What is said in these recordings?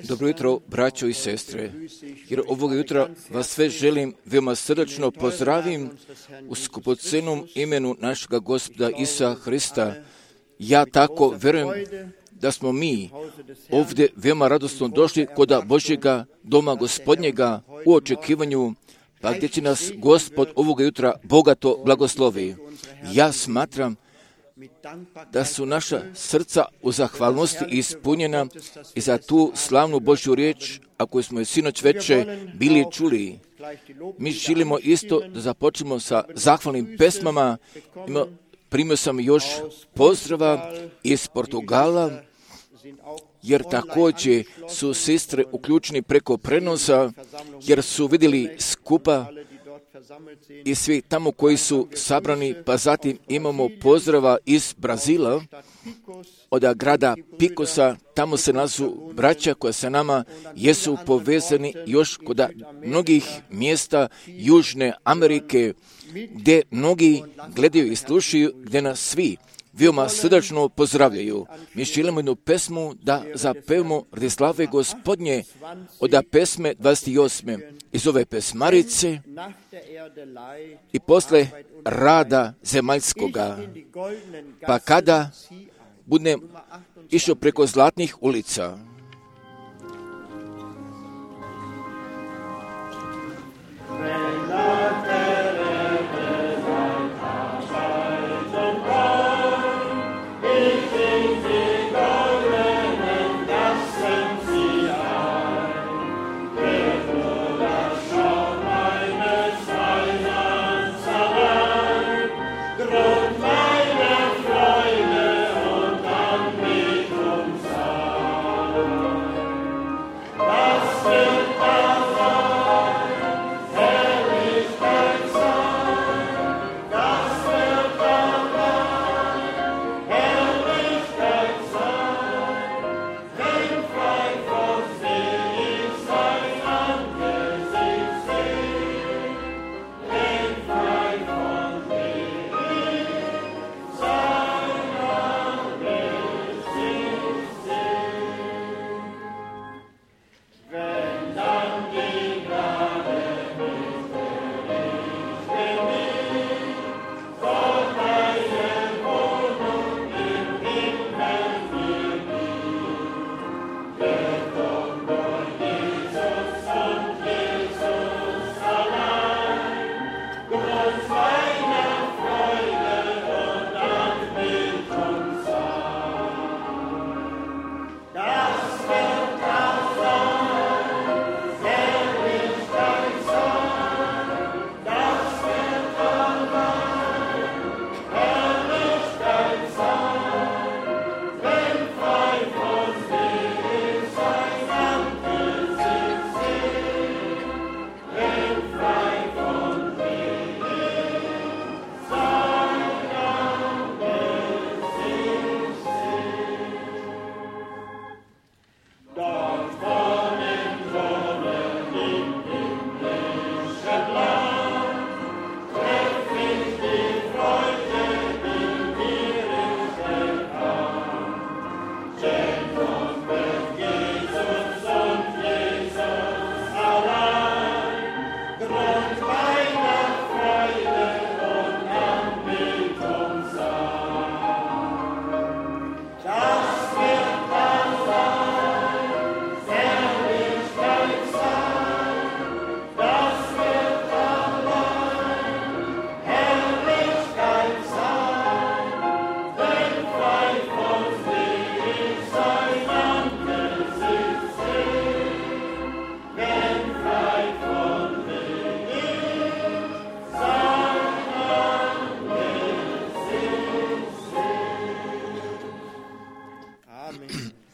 Dobro jutro, braćo i sestre, jer ovoga jutra vas sve želim veoma srdačno pozdravim u skupocenom imenu našega Gospoda Isusa Hrista. Ja tako verujem da smo mi ovdje veoma radosno došli kod Božjega doma Gospodnjega u očekivanju, pa gdje će nas Gospod ovoga jutra bogato blagoslovi. Ja smatram da su naša srca u zahvalnosti ispunjena i za tu slavnu Božju riječ, a koju smo je sinoć veče bili čuli. Mi želimo isto da započnemo sa zahvalnim pesmama. Primio sam još pozdrava iz Portugala, jer također su sestre uključeni preko prenosa, jer su vidjeli skupa i svi tamo koji su sabrani, pa zatim imamo pozdrava iz Brazila, od grada Picosa, tamo se nalazu braća koja sa nama jesu povezani još kod mnogih mjesta Južne Amerike, gdje mnogi gledaju i slušaju, gdje nas svi veoma srdačno pozdravljaju. Mi želimo jednu pesmu da zapevamo radi slave Gospodnje od pesme 28. iz ove pesmarice i posle rada zemaljskoga. Pa kada budem išao preko zlatnih ulica,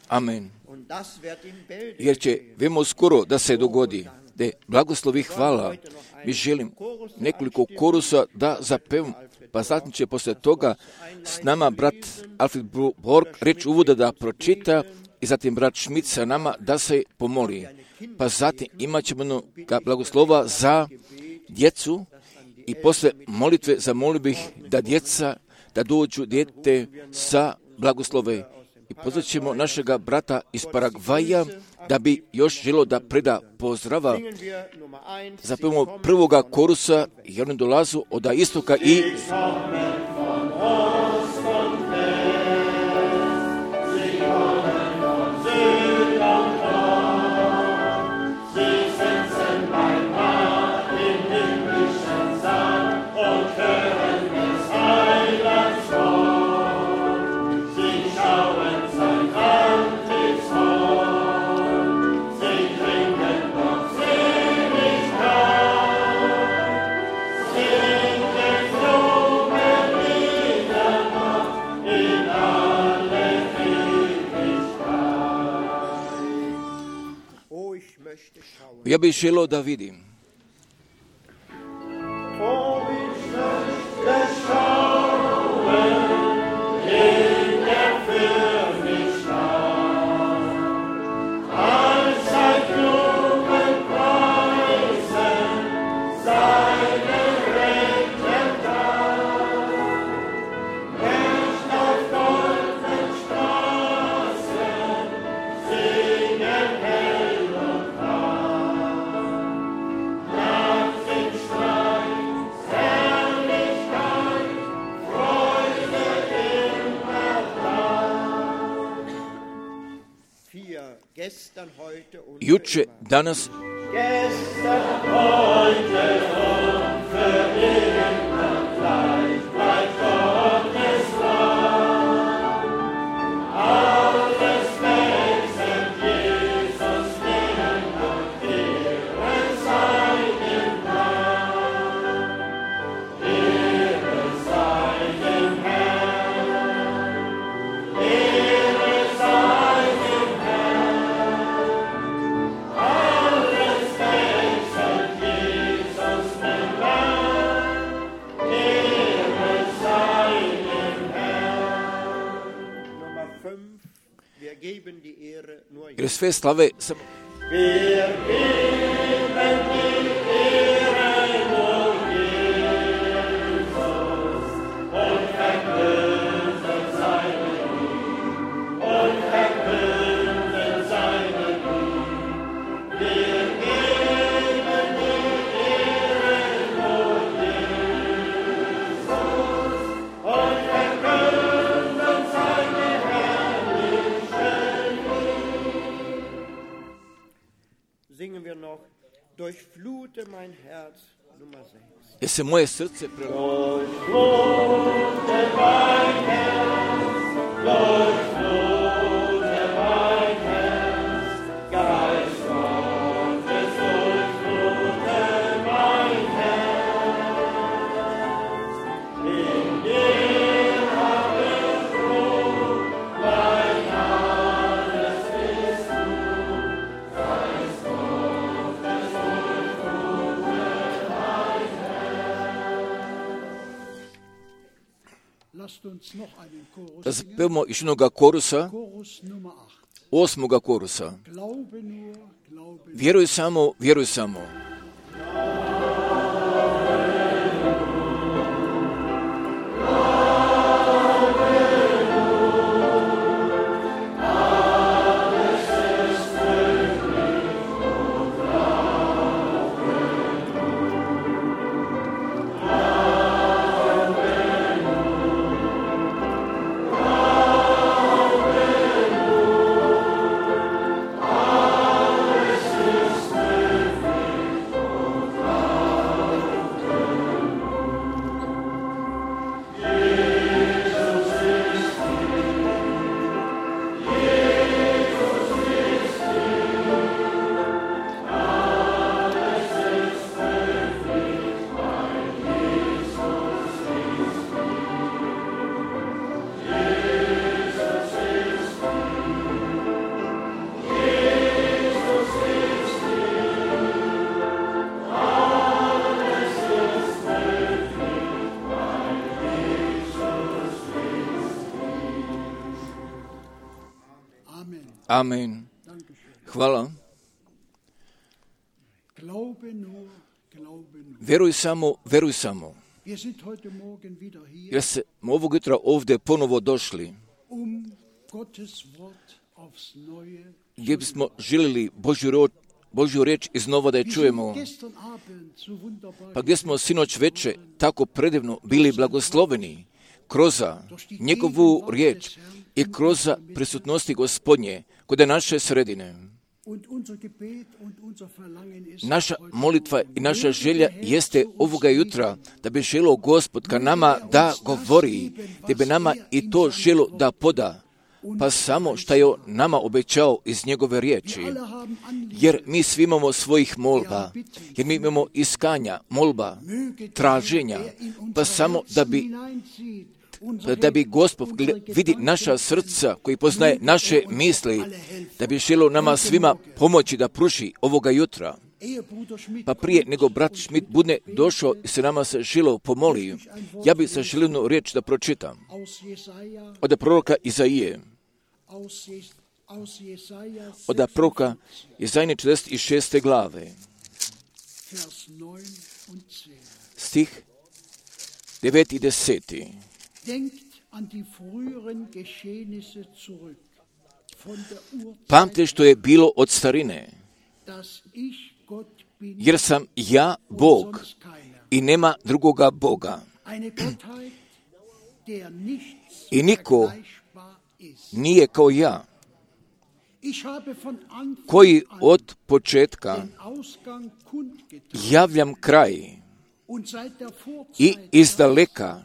amen. Jer će veoma skoro da se dogodi, da blagoslovi hvala. Mi želim nekoliko korusa da zapevam, pa zatim će posle toga s nama brat Alfred Borg reč uvoda da pročita i zatim brat Schmidt sa nama da se pomoli. Pa zatim imat ćemo blagoslova za djecu i posle molitve zamolio bih da djeca, da dođu dijete sa blagoslove i pozvaćemo našega brata iz Paragvaja da bi još želio da preda pozdrava. Zapevamo prvoga korusa i oni dolazu od istoka i ja bih želio da vidim. Juče, danas, jer sve slave samo jer se moje srce prelomilo. Da zapevamo još jednoga korusa, 8. korusa. Vjeruj samo, vjeruj samo. Amen. Hvala. Vjeruj samo, vjeruj samo. Jer smo ovog jutra ovdje ponovo došli gdje bismo željeli Božju riječ iznova da je čujemo, pa gdje smo sinoć veče tako predivno bili blagosloveni kroz njegovu riječ i kroz prisutnosti Gospodnje kod naše sredine. Naša molitva i naša želja jeste ovoga jutra da bi želo Gospod ka nama da govori, da bi nama i to želo da poda, pa samo što je nama obećao iz njegove riječi. Jer mi svi imamo svojih molba, jer mi imamo iskanja, molba, traženja, pa samo da bi Gospod vidi naša srca koji poznaje naše misli, da bi želio nama svima pomoći da pruži ovoga jutra. Pa prije nego brat Schmidt bude došao i se nama se želio pomoli, ja bi se želio riječ da pročitam od proroka Izaije. Od proroka Izaije 46. glave. Stih 9 i 10. Pamte što je bilo od starine, jer sam ja Bog i nema drugoga Boga. I niko nije kao ja, koji od početka javljam kraj i izdaleka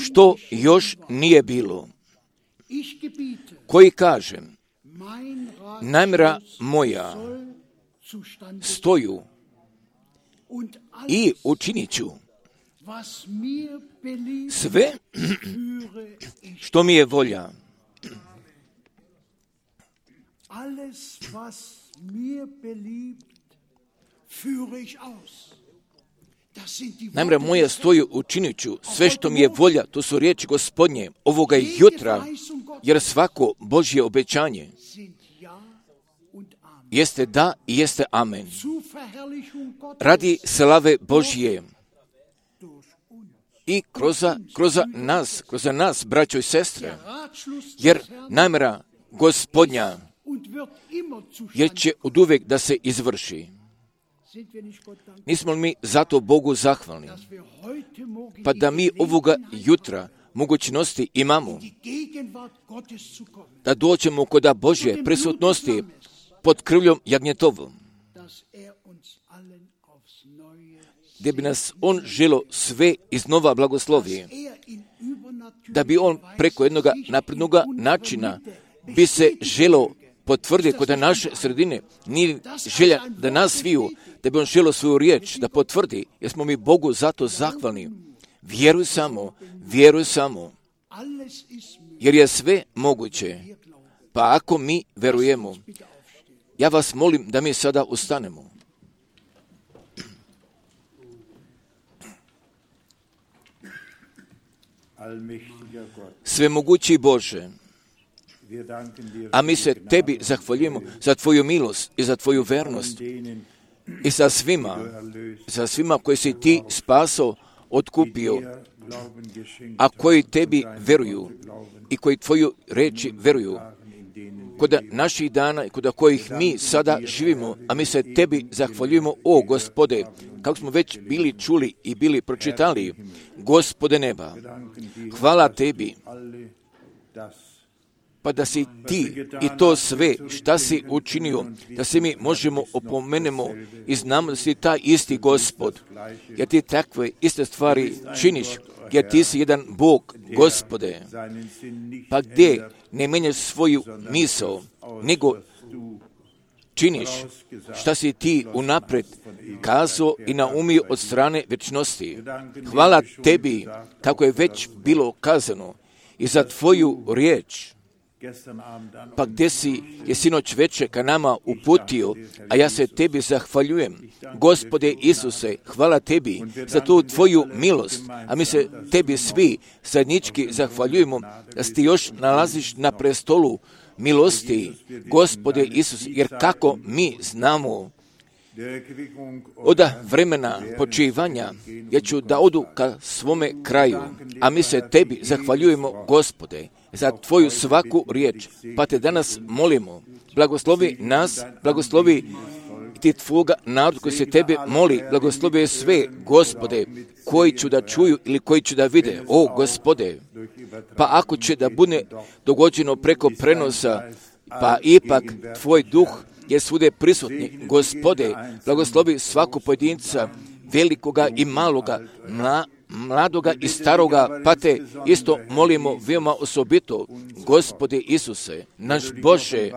što još nije bilo, koji kažem, namjera moja stoju i učinit ću sve što mi je volja. Namjera moja stoju, učinit ću sve što mi je volja. To su riječi Gospodnje ovoga jutra, jer svako Božje obećanje jeste da i jeste amen. Radi slave Božje i kroz nas, braćo i sestre, jer namjera Gospodnja jer će oduvijek da se izvrši. Nismo li mi zato Bogu zahvalni? Pa da mi ovoga jutra mogućnosti imamo da dođemo kod Božje prisutnosti pod krvljom jagnjetovom, gdje bi nas On želo sve iznova blagoslovi, da bi On preko jednog naprednog načina bi se želo potvrditi kod naše sredine. Nije želja da nas sviju, da bi On želo svoju riječ da potvrdi, jer smo mi Bogu zato zahvalni. Vjeruj samo, jer je sve moguće. Pa ako mi verujemo, ja vas molim da mi sada ustanemo. Svemogući Bože, a mi se Tebi zahvaljujemo za Tvoju milost i za Tvoju vernost i za svima koji si Ti spasao, otkupio, a koji Tebi veruju i koji Tvoju reči veruju. Kod naših dana i kod kojih mi sada živimo, a mi se Tebi zahvaljujemo, o Gospode, kako smo već bili čuli i bili pročitali, Gospode neba, hvala Tebi, pa da si Ti i to sve šta si učinio, da se mi možemo opomenemo i znamo da si taj isti Gospod, jer Ti takve iste stvari činiš, jer Ti si jedan Bog, Gospode, pa gdje ne menjaš svoju misao, nego činiš šta si Ti unaprijed kazao i naumio od strane večnosti. Hvala Tebi, kako je već bilo kazano, i za Tvoju riječ, pa gdje si je sinoć veče ka nama uputio, a ja se Tebi zahvaljujem. Gospode Isuse, hvala Tebi za tu Tvoju milost, a mi se Tebi svi zajednički zahvaljujemo da si Ti još nalaziš na prestolu milosti, Gospode Isuse, jer kako mi znamo od vremena počivanja, ja ću da odu ka svome kraju, a mi se Tebi zahvaljujemo, Gospode, za tvoju svaku riječ. Pa te danas molimo, blagoslovi nas, blagoslovi ti tvoga naroda koji se tebe moli, blagoslovi sve, Gospode, koji ću da čuju ili koji ću da vide. O, Gospode, pa ako će da bude dogođeno preko prenosa, pa ipak tvoj duh je svude prisutni. Gospode, blagoslovi svaku pojedinca, velikoga i maloga, mladoga i staroga, pa te isto molimo veoma osobito, Gospode Isuse, naš Bože,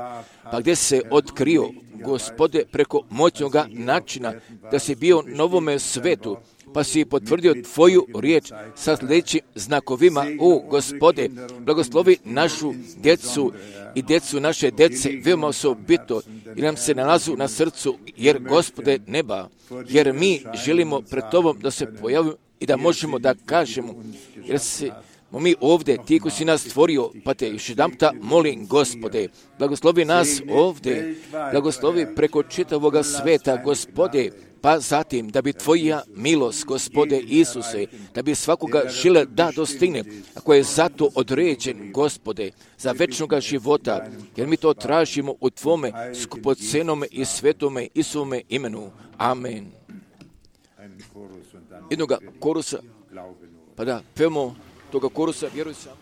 pa gdje se otkrio, Gospode, preko moćnoga načina, da si bio na ovome svetu, pa si potvrdio tvoju riječ sa sljedećim znakovima. O, Gospode, blagoslovi našu djecu i djecu naše djece, veoma osobito, i nam se nalazu na srcu, jer, Gospode neba, jer mi želimo pred Tobom da se pojavimo i da možemo da kažemo, jer se mi ovdje, ti koji si nas stvorio, pa te još jedanputa molim, Gospode, blagoslovi nas ovdje, blagoslovi preko čitavoga sveta, Gospode, pa zatim da bi tvoja milost, Gospode Isuse, da bi svakoga žele da dostigne, ako je zato određen, Gospode, za večnoga života, jer mi to tražimo u Tvome skupocenome i svetome Isuvome imenu. Amen. Jednoga korusa, pa da, pevamo toga korusa, vjeruj samo.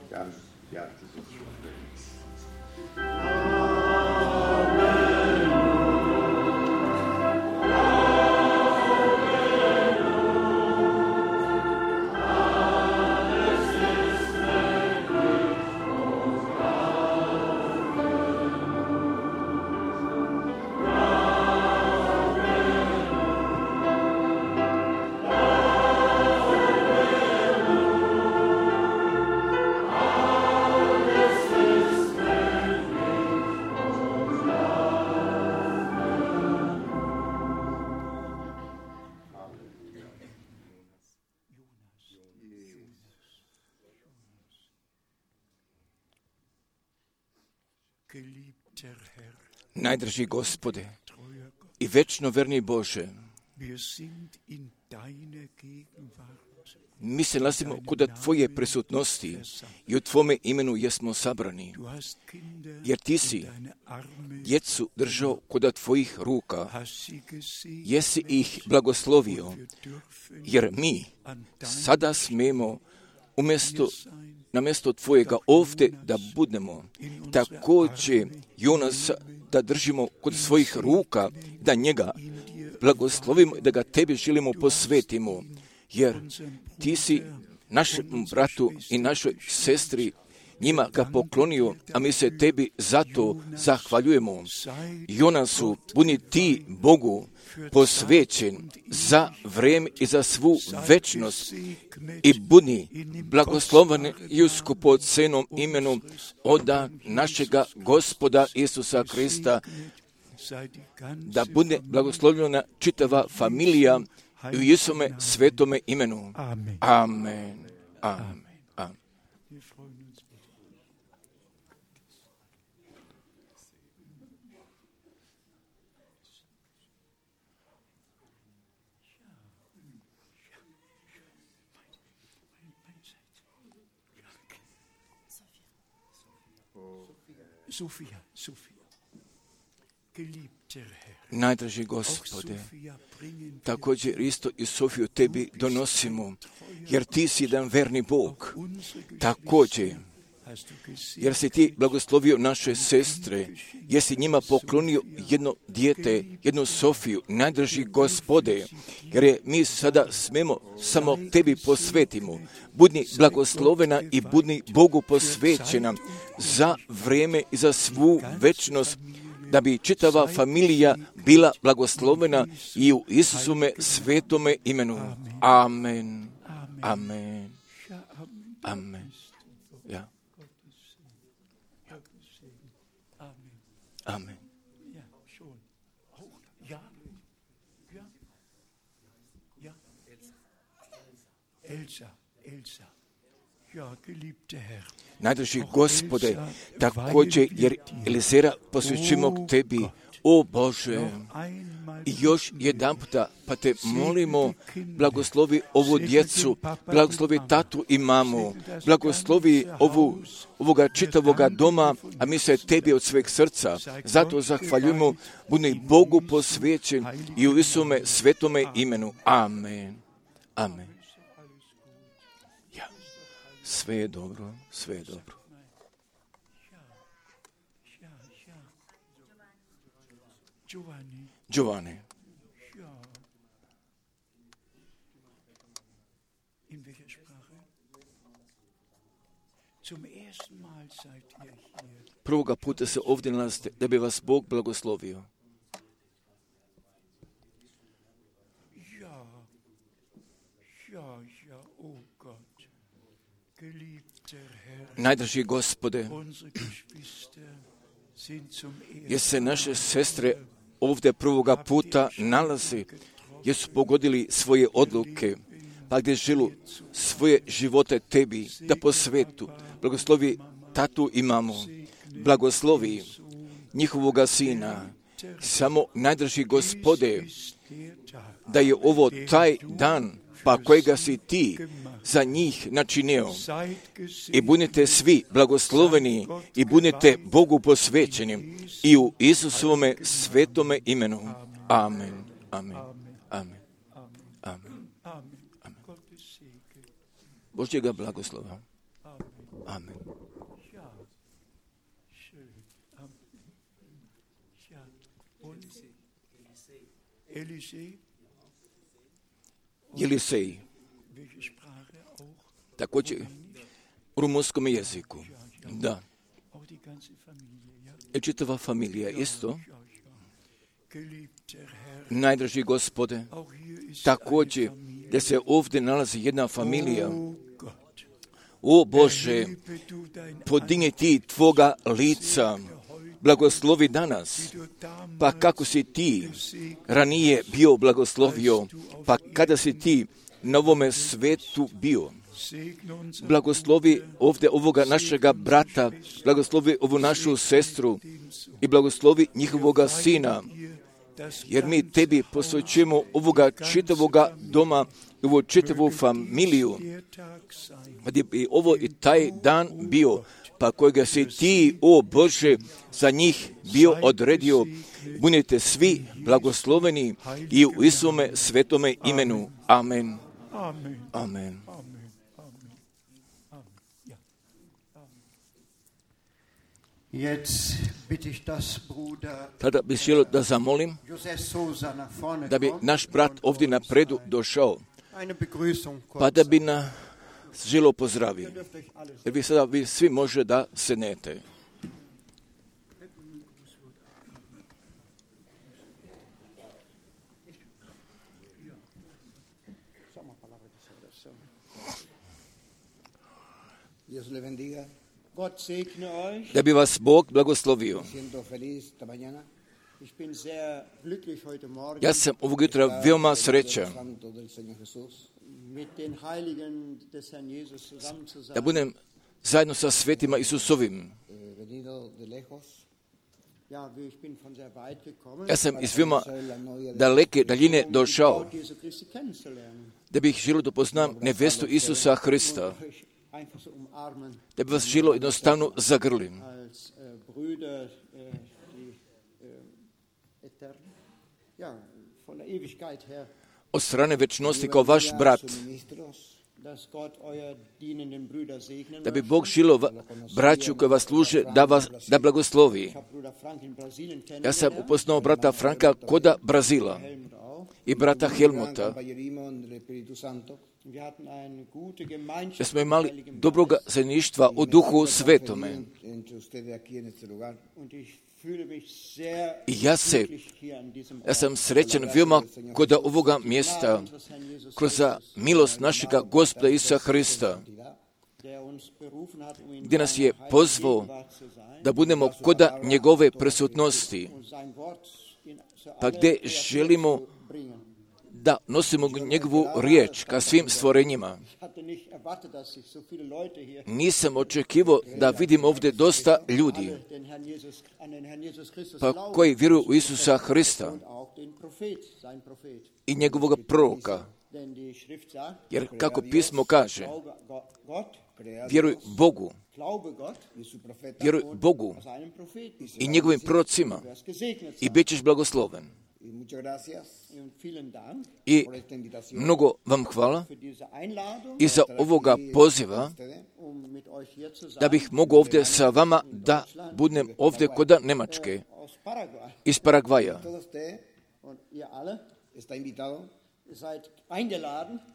Najdraži Gospode i večno verni Bože, mi se nalazimo kod Tvoje prisutnosti i u Tvome imenu jesmo sabrani, jer Ti si djecu držao kod Tvojih ruka, jesi ih blagoslovio, jer mi sada smemo na mjesto Tvojega ovdje da budemo, također Jonas da držimo kod svojih ruka, da njega blagoslovimo i da ga Tebi želimo posvetimo, jer Ti si našem bratu i našoj sestri njima ga poklonio, a mi se Tebi zato zahvaljujemo. Jonasu, budi Ti Bogu posvećen za vrijeme i za svu večnost i budi blagosloven i u skupocenom imenu oda našega Gospoda Isusa Krista, da bude blagoslovljena čitava familija i u Isome svetome imenu. Amen. Amen. Amen. Amen. Sophia, geliebter Herr, najdraži Gospode, također isto i Sofiju Tebi donosimo, jer Ti si jedan verni Bog. Također, jer si Ti blagoslovio naše sestre, jesi njima poklonio jedno dijete, jednu Sofiju, najdraži Gospode, jer je mi sada smemo samo Tebi posvetimo. Budi blagoslovena i budi Bogu posvećena za vrijeme i za svu večnost, da bi čitava familija bila blagoslovena i u Isusume svetome imenu. Amen. Amen. Amen. Ja. Amen. Elsa. Ja, geliebter Herr. Najdraži Gospode, također jer Elizera posvećujemo k Tebi. O Bože, još jedan puta, pa te molimo, blagoslovi ovu djecu, blagoslovi tatu i mamu, blagoslovi ovoga čitavoga doma, a mi se tebi od sveg srca. Zato zahvaljujemo, budi Bogu posvećen i u Isume svetome imenu. Amen. Amen. Ja. Sve je dobro, sve je dobro. Giovanni. Prvoga puta se ovdje nalazite da bi vas Bog blagoslovio. Najdraži Gospode, jer se naše sestre ovdje prvoga puta nalazi, jer su pogodili svoje odluke, pa gdje želu svoje živote tebi, da po svetu blagoslovi tatu i mamu, blagoslovi njihovoga sina, samo najdraži Gospode, da je ovo taj dan, pa kojega si ti za njih načinio. I budite svi blagosloveni i budite Bogu posvećeni i u Isusovome svetome imenu. Amen. Amen. Amen. Amen. Amen. Božjega blagoslova. Amen. Jelisej. Također u rumunskom jeziku. Da. I čitava familija isto. Najdraži Gospode, također da se ovdje nalazi jedna familija. O Bože, podigni ti tvoga lica, blagoslovi danas, pa kako si ti ranije bio blagoslovio, pa kada si ti na ovome svetu bio. Blagoslovi ovdje ovoga našega brata, blagoslovi ovu našu sestru i blagoslovi njihovoga sina, jer mi tebi posvećujemo ovoga čitavoga doma, ovu čitavu familiju, gdje bi ovo i taj dan bio, pa kojega si ti, o Bože, za njih bio odredio. Budite svi blagosloveni i u Isume svetome imenu. Amen. Amen. Tada bih želio da zamolim da bi naš brat ovdje napredu došao, pa da bi nas želio pozdravio. Jer vi sada svi može da sednete. Da bi vas Bog blagoslovio. Ja sam ovog jutra veoma srećan da budem zajedno sa svetima Isusovim. Ja sam iz veoma daleke daljine došao da bih želio da poznam nevestu Isusa Hrista, da bi vas želio jednostavno zagrlim. Od strane večnosti kao vaš brat, da bi Bog želio braću koji vas služe da blagoslovi. Ja sam upoznao brata Franka koda Brazila i brata Helmuta. Da smo imali dobroga zajedništva u Duhu Svetome. I ja sam srećan veoma kod ovoga mjesta, kroz milost našega Gospoda Isusa Hrista, gdje nas je pozvao da budemo kod njegove prisutnosti, pa gdje želimo da nosimo njegovu riječ ka svim stvorenjima. Nisam očekivao da vidim ovdje dosta ljudi pa koji vjeruju u Isusa Hrista i njegovog proroka. Jer kako pismo kaže, vjeruj Bogu i njegovim prorocima i bit ćeš blagosloven. I mnogo vam hvala i za ovoga poziva da bih mogao ovdje sa vama da budem ovdje kod Njemačke, iz Paragvaja.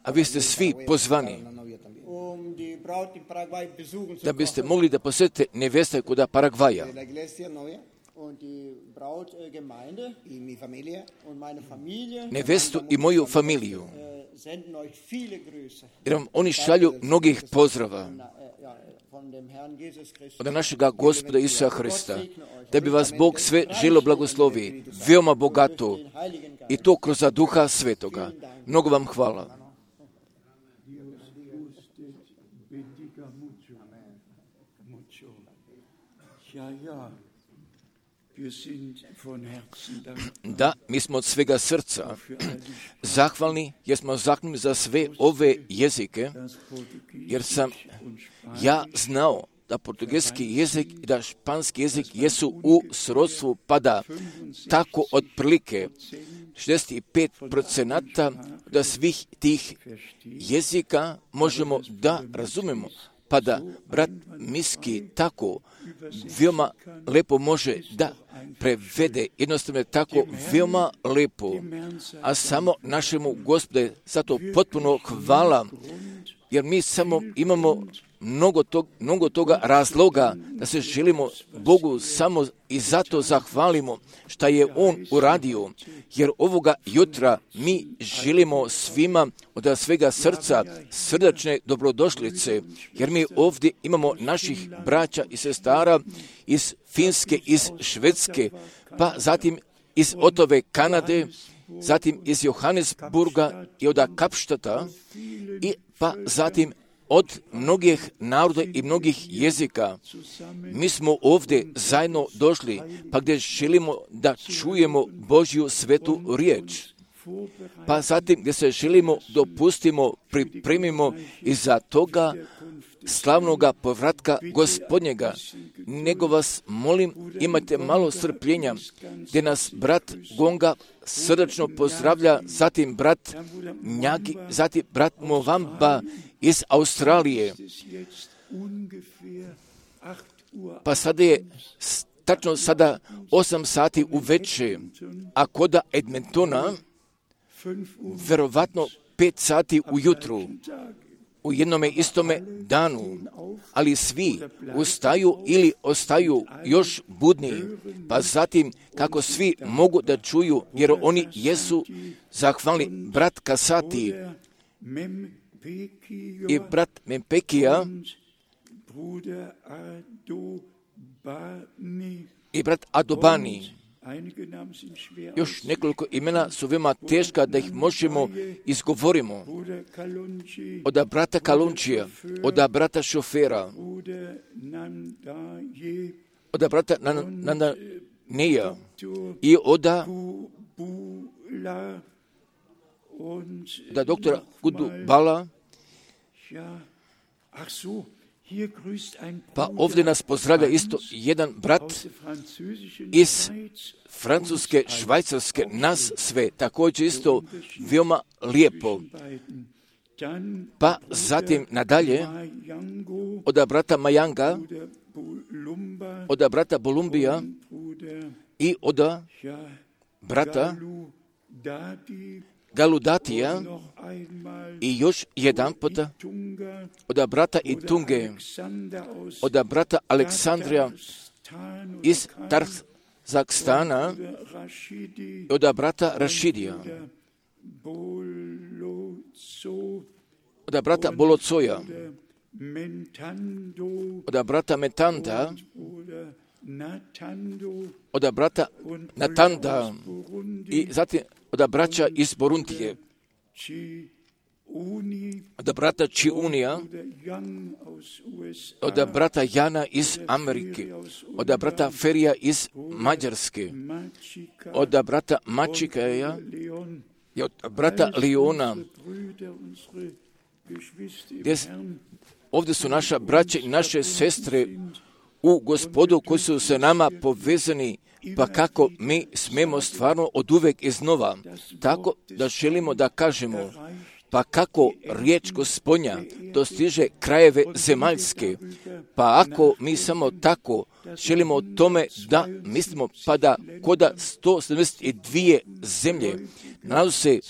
A vi ste svi pozvani da biste mogli da posjetite nevjesta kod Paragvaja. Nevjestu i moju familiju. Jer vam oni šalju mnogih pozdrava od našega Gospoda Isusa Hrista, da bi vas Bog sve želio blagoslovi, veoma bogato, i to kroz Duha Svetoga. Mnogo vam hvala. Da, mi smo od svega srca zahvalni, jer smo zahvalni za sve ove jezike, jer sam ja znao da portugalski jezik i da španski jezik jesu u srodstvu, pa da tako otprilike 65% da svih tih jezika možemo da razumemo. Pa da brat Miski tako veoma lepo može da prevede, jednostavno je tako veoma lepo, a samo našemu Gospodu zato potpuno hvala, jer mi samo imamo mnogo toga razloga da se želimo Bogu samo i zato zahvalimo što je On uradio, jer ovoga jutra mi želimo svima od svega srca srdačne dobrodošlice, jer mi ovdje imamo naših braća i sestara iz Finske, iz Švedske, pa zatim iz Otove Kanade, zatim iz Johannesburga i od Kapštata, i pa zatim od mnogih naroda i mnogih jezika. Mi smo ovdje zajedno došli, pa gdje želimo da čujemo Božju svetu riječ. Pa zatim gdje se želimo dopustimo, pripremimo iza toga slavnoga povratka Gospodnjega. Nego vas molim, imajte malo strpljenja, gdje nas brat Gonga srdačno pozdravlja, zatim brat Njagi, zatim brat Movamba iz Australije. Pa sada je tačno sada 8 sati uveče, a kod Edmontona verovatno 5 sati ujutru, u jednome istome danu, ali svi ustaju ili ostaju još budni, pa zatim kako svi mogu da čuju, jer oni jesu zahvalni brat Kasati i brat Mempekija i brat Adobani. Još nekoliko imena su veoma teška da ih možemo izgovorimo. Od brata Kalunčija, od brata Šofera, od brata Nandaneja i od doktora Gudubala. Pa ovdje nas pozdravlja isto jedan brat iz Francuske, Švajcarske, nas sve, također isto veoma lijepo. Pa zatim nadalje od brata Majanga, od brata Bolumbija i od brata Galudatija i još jedan puta od brata Itunge, od brata Aleksandrija iz Tarzakstana, od brata Rašidija, od brata Bolocoja, od brata Metanda, od brata Natanda i zatim od braća iz Borundije. od brata Čiunija, od brata Jana iz Amerike, od brata Ferija iz Mađarske, od brata Mačikaja i od brata Leona. Ovdje su naša braća i naše sestre u Gospodu koji su se nama povezani, pa kako mi smemo stvarno od uvek iznova, tako da želimo da kažemo, pa kako riječ Gospodnja dostiže krajeve zemaljske, pa ako mi samo tako želimo o tome da mislimo, pa da koda 172 zemlje nalazi se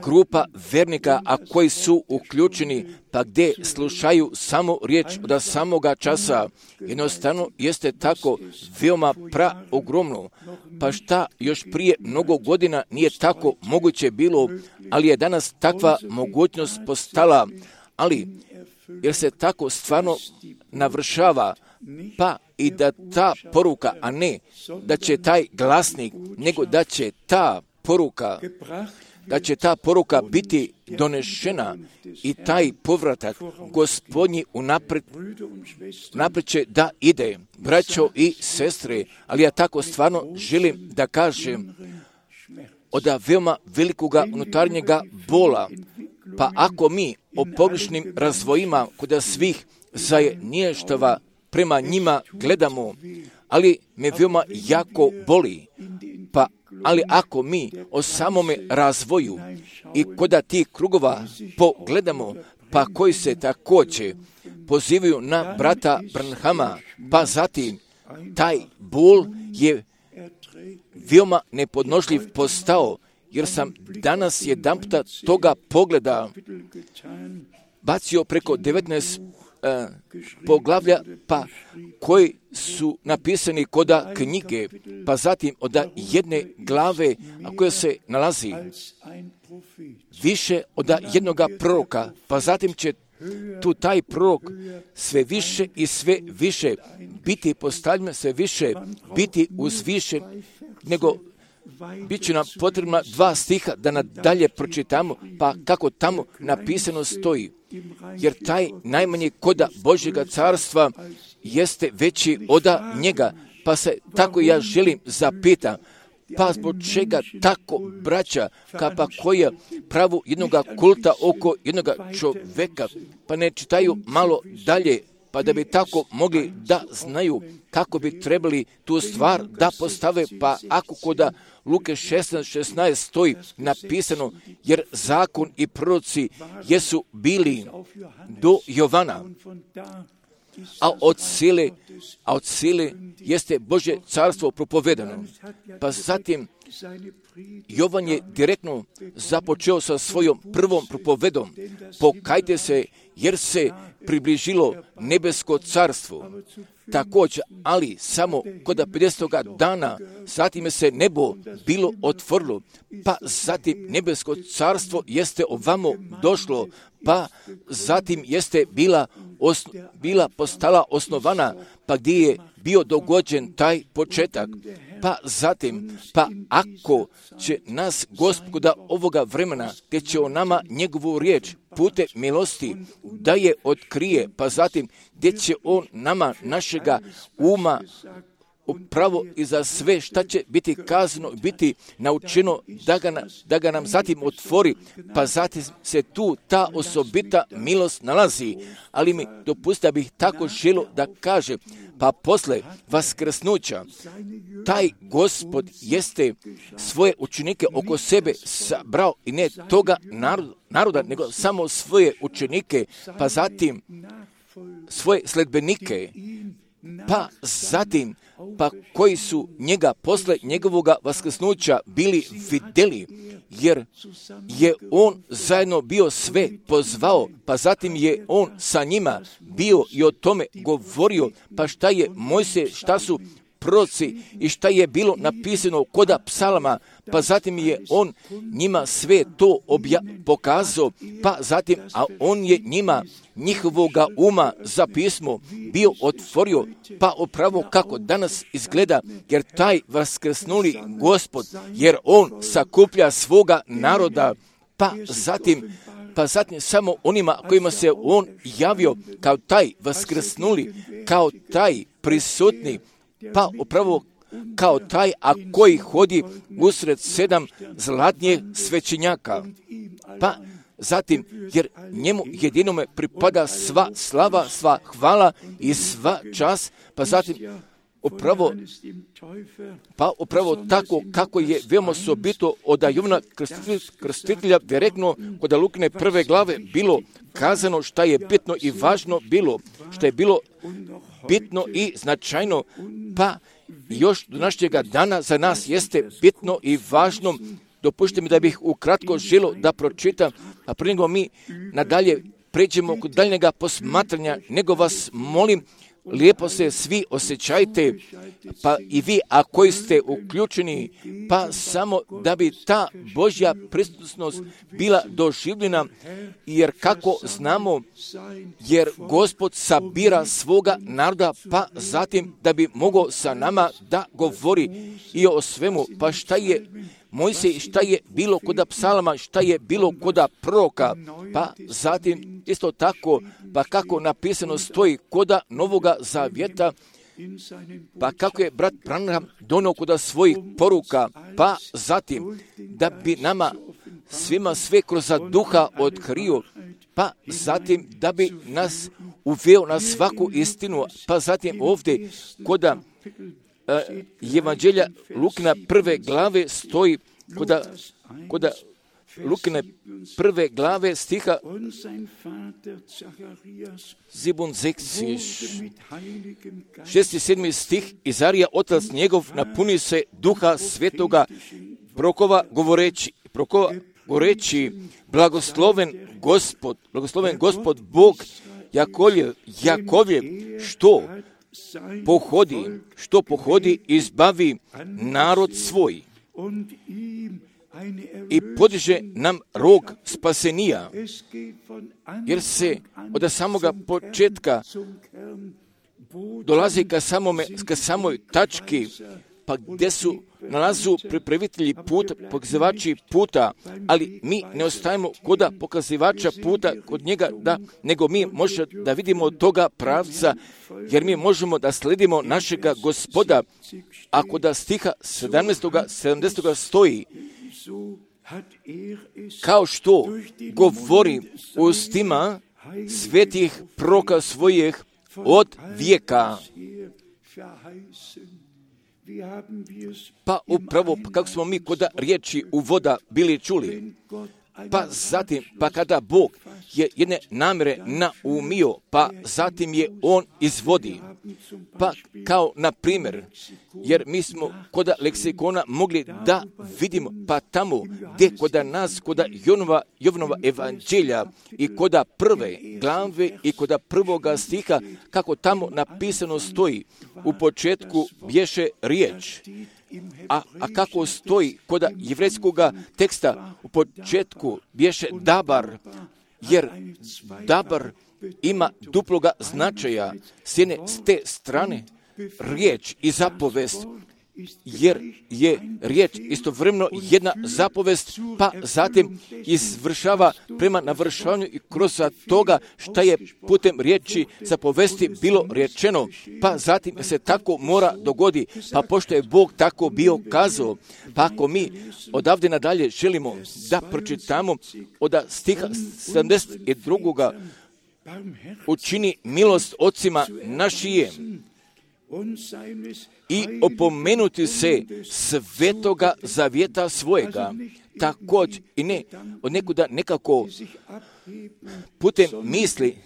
grupa vernika, a koji su uključeni, pa gdje slušaju samo riječ od samoga časa, jednostavno jeste tako veoma ogromno. Pa šta još prije mnogo godina nije tako moguće bilo, ali je danas takva mogućnost postala, ali jer se tako stvarno navršava, pa i da ta poruka, a ne da će taj glasnik, nego da će ta poruka biti donešena i taj povratak Gospodnji unaprijed će da ide. Braćo i sestre, ali ja tako stvarno želim da kažem od veoma velikoga unutarnjega bola, pa ako mi o pogrešnim razvojima kod svih zajedništava prema njima gledamo, ali me veoma jako boli, ali ako mi o samome razvoju i kod tih krugova pogledamo, pa koji se također pozivaju na brata Branhama, pa zatim taj bol je veoma nepodnošljiv postao, jer sam danas jedanputa toga pogleda bacio preko 19 poglavlja, pa koji su napisani koda knjige, pa zatim od jedne glave, a koja se nalazi više od jednoga proroka, pa zatim će tu taj prorok sve više i sve više biti postavljen, sve više biti uzvišen, nego bit će nam potrebna 2 stiha da nadalje pročitamo, pa kako tamo napisano stoji. Jer taj najmanji koda Božjega carstva jeste veći od njega, pa se tako ja želim zapitam, pa zbog čega tako braća, pa koja pravu jednoga kulta oko jednoga čoveka, pa ne čitaju malo dalje, pa da bi tako mogli da znaju kako bi trebali tu stvar da postave, pa ako koda Luke 16 stoji napisano, jer zakon i proroci jesu bili do Jovana, a od sile jeste Božje carstvo propovedano. Pa zatim Jovan je direktno započeo sa svojom prvom propovedom. Pokajte se, jer se približilo nebesko carstvo. Također, ali samo kod 50. dana, zatim se nebo bilo otvorilo, pa zatim nebesko carstvo jeste ovamo došlo, pa zatim jeste bila postala osnovana, pa gdje je bio dogođen taj početak. Pa zatim, pa ako će nas Gospoda ovoga vremena, te će o nama njegovu riječ putem milosti da je otkrije, pa zatim gdje će on nama našega uma upravo i za sve šta će biti kazano, biti naučeno da ga nam zatim otvori, pa zatim se tu ta osobita milost nalazi. Ali mi dopustite da bih tako želio da kaže, pa posle vaskrsnuća taj Gospod jeste svoje učenike oko sebe sabrao i ne toga naroda, nego samo svoje učenike, pa zatim svoje sledbenike, pa zatim pa koji su njega posle njegovoga vaskrsnuća bili vidjeli, jer je on zajedno bio sve pozvao, pa zatim je on sa njima bio i o tome govorio, pa šta je Mojsije, šta su proroci i šta je bilo napisano koda psalama, pa zatim je on njima sve to pokazao, pa zatim, a on je njima njihovoga uma za pismo bio otvorio, pa upravo kako danas izgleda, jer taj vaskrsnuli Gospod, jer on sakuplja svoga naroda, pa zatim samo onima kojima se on javio kao taj vaskrsnuli, kao taj prisutni, pa upravo kao taj, a koji hodi usred 7 zlatnijih svećenjaka. Pa zatim, jer njemu jedinome pripada sva slava, sva hvala i sva čast, pa zatim upravo tako kako je veoma osobito od Jovana Krstitelja direktno kod Lukine 1. glave bilo kazano šta je bitno i važno bilo, što je bilo bitno i značajno, pa još do našega dana za nas jeste bitno i važno. Dopušte mi da bih ukratko želio da pročitam, a prije nego mi nadalje pređemo kod daljnjega posmatranja, nego vas molim, lijepo se svi osjećajte, pa i vi, a koji ste uključeni, pa samo da bi ta Božja prisutnost bila doživljena, jer kako znamo, jer Gospod sabira svoga naroda, pa zatim da bi mogao sa nama da govori i o svemu, pa šta je Mojsij, šta je bilo koda psalama, šta je bilo koda proroka, pa zatim isto tako, pa kako napisano stoji koda Novoga Zavjeta, pa kako je brat Branham donio koda svojih poruka, pa zatim da bi nama svima sve kroz duha otkrio, pa zatim da bi nas uveo na svaku istinu, pa zatim ovdje koda Evanđelja Lukina 1. glave stoji koda Lukine 1. glave stiha 6. i 7. stih, Izarija otac njegov napuni se duha svetoga prokova govoreći blagosloven Gospod Bog Jakovljev, što pohodi izbavi narod svoj i podiže nam rog spasenija, jer se od samoga početka dolazi ka samoj tački, pa gdje su nalazu pripravitelji puta, pokazivači puta, ali mi ne ostajemo koda pokazivača puta kod njega, nego mi možemo da vidimo toga pravca, jer mi možemo da sledimo našega Gospoda. Ako da stiha 70. stoji, kao što govori ustima svetih proroka svojih od vijeka. Pa upravo kako smo mi kod riječi uvoda bili čuli, pa zatim, pa kada Bog je jedne namjere naumio, pa zatim je On izvodi. Pa kao na primjer, jer mi smo kod leksikona mogli da vidimo, pa tamo gdje kod nas, kod Jovanova evanđelja i kod 1. glave i kod 1. stiha, kako tamo napisano stoji, u početku bješe riječ. A kako stoji kod jevrejskog teksta, u početku bješe dabar, jer dabar ima duploga značaja, s te strane riječ i zapovest, jer je riječ istovremeno jedna zapovest, pa zatim izvršava prema navršavanju i kroz toga šta je putem riječi zapovesti bilo rečeno, pa zatim se tako mora dogodi, pa pošto je Bog tako bio kazao, pa ako mi odavde nadalje želimo da pročitamo od stiha 72. učini milost ocima našijem i opomenuti se svetoga zavjeta svojega, također i ne od nekuda nekako putem misli,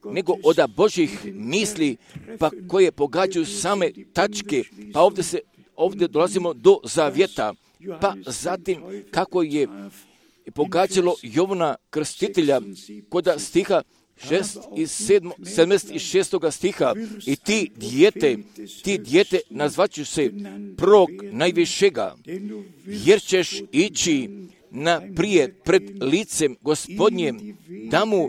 nego od Božjih misli, pa koje pogađaju same tačke, pa ovdje dolazimo do zavjeta, pa zatim kako je pogađalo Jovana Krstitelja kod stiha 76. stiha, i ti dijete nazvaću se prorok najvišega, jer ćeš ići naprijed pred licem Gospodnjem da mu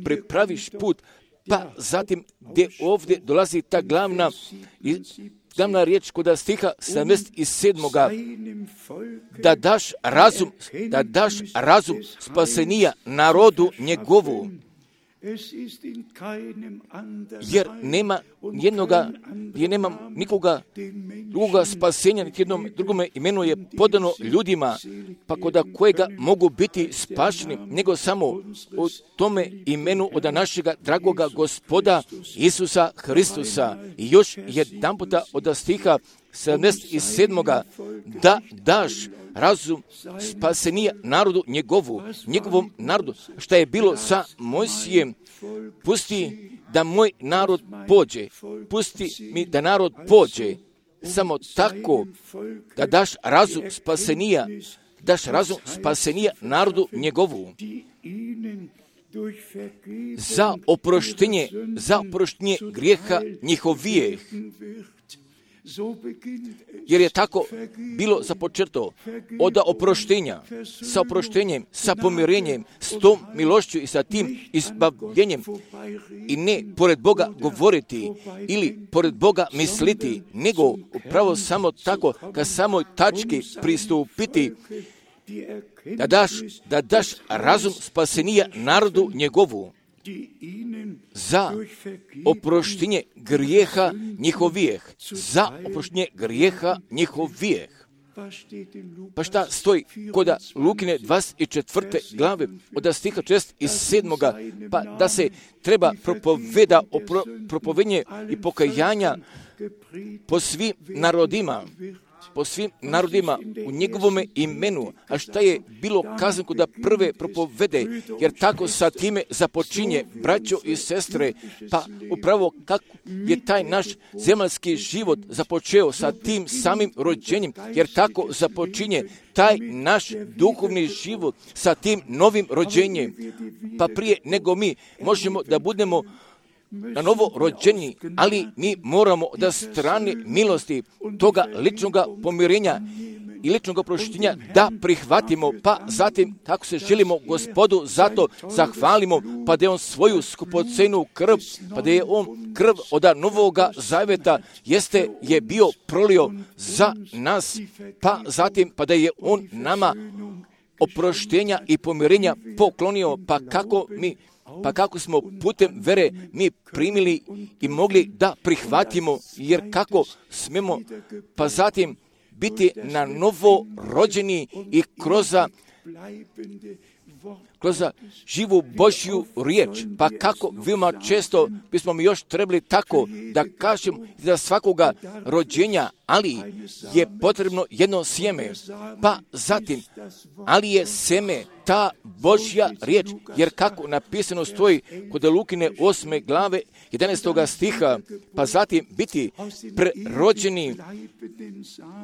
pripraviš put, pa zatim gdje ovdje dolazi ta glavna glavna riječ kod stiha 77. Da daš razum spasenija narodu njegovu. Jer nema nikoga drugoga spasenja, niti jednom drugome imenu je podano ljudima, pa kod kojega mogu biti spašeni, nego samo u tome imenu od našega dragoga Gospoda Isusa Hristusa. I još jedan puta od stiha 77. da daš razum spasenija narodu njegovom narodu. Šta je bilo sa Mojsijem? Pusti da moj narod pođe. Pusti mi da narod pođe. Samo tako da daš razum spasenija narodu njegovu. Za oproštenje grijeha njihovijeh. Jer je tako bilo započeto od oproštenja, sa oproštenjem, sa pomirenjem, s tom milošću i sa tim izbavljenjem. I ne pored Boga govoriti ili pored Boga misliti, nego upravo samo tako ka samoj tački pristupiti, da daš razum spasenija narodu njegovu. Za oproštenje grijeha njihovijeh. Pa šta stoji kod Lukine 24. glave od stiha 6 i 7. Pa da se treba propovedanje i pokajanja po svim narodima u njegovome imenu. A šta je bilo kazano kod prve propovede, jer tako sa time započinje, braćo i sestre, pa upravo kako je taj naš zemaljski život započeo sa tim samim rođenjem, jer tako započinje taj naš duhovni život sa tim novim rođenjem. Pa prije nego mi možemo da budemo na novo rođeni, ali mi moramo da strane milosti toga ličnog pomirenja i ličnog oproštenja da prihvatimo, pa zatim kako se želimo Gospodu zato zahvalimo, pa da je on svoju skupocenu krv, pa da je on krv od novoga zaveta je bio prolio za nas, pa zatim pa da je on nama oproštenja i pomirenja poklonio, pa kako smo putem vere mi primili i mogli da prihvatimo, jer kako smemo, pa zatim biti na novo rođeni i kroz živu Božju riječ. Pa kako veoma često bismo mi još trebali tako da kažem za svakoga rođenja, ali je potrebno jedno sjeme. Pa zatim, ali je seme ta Božja riječ, jer kako napisano stoji kod Lukine 8. glave 11. stiha, pa zatim biti prerođeni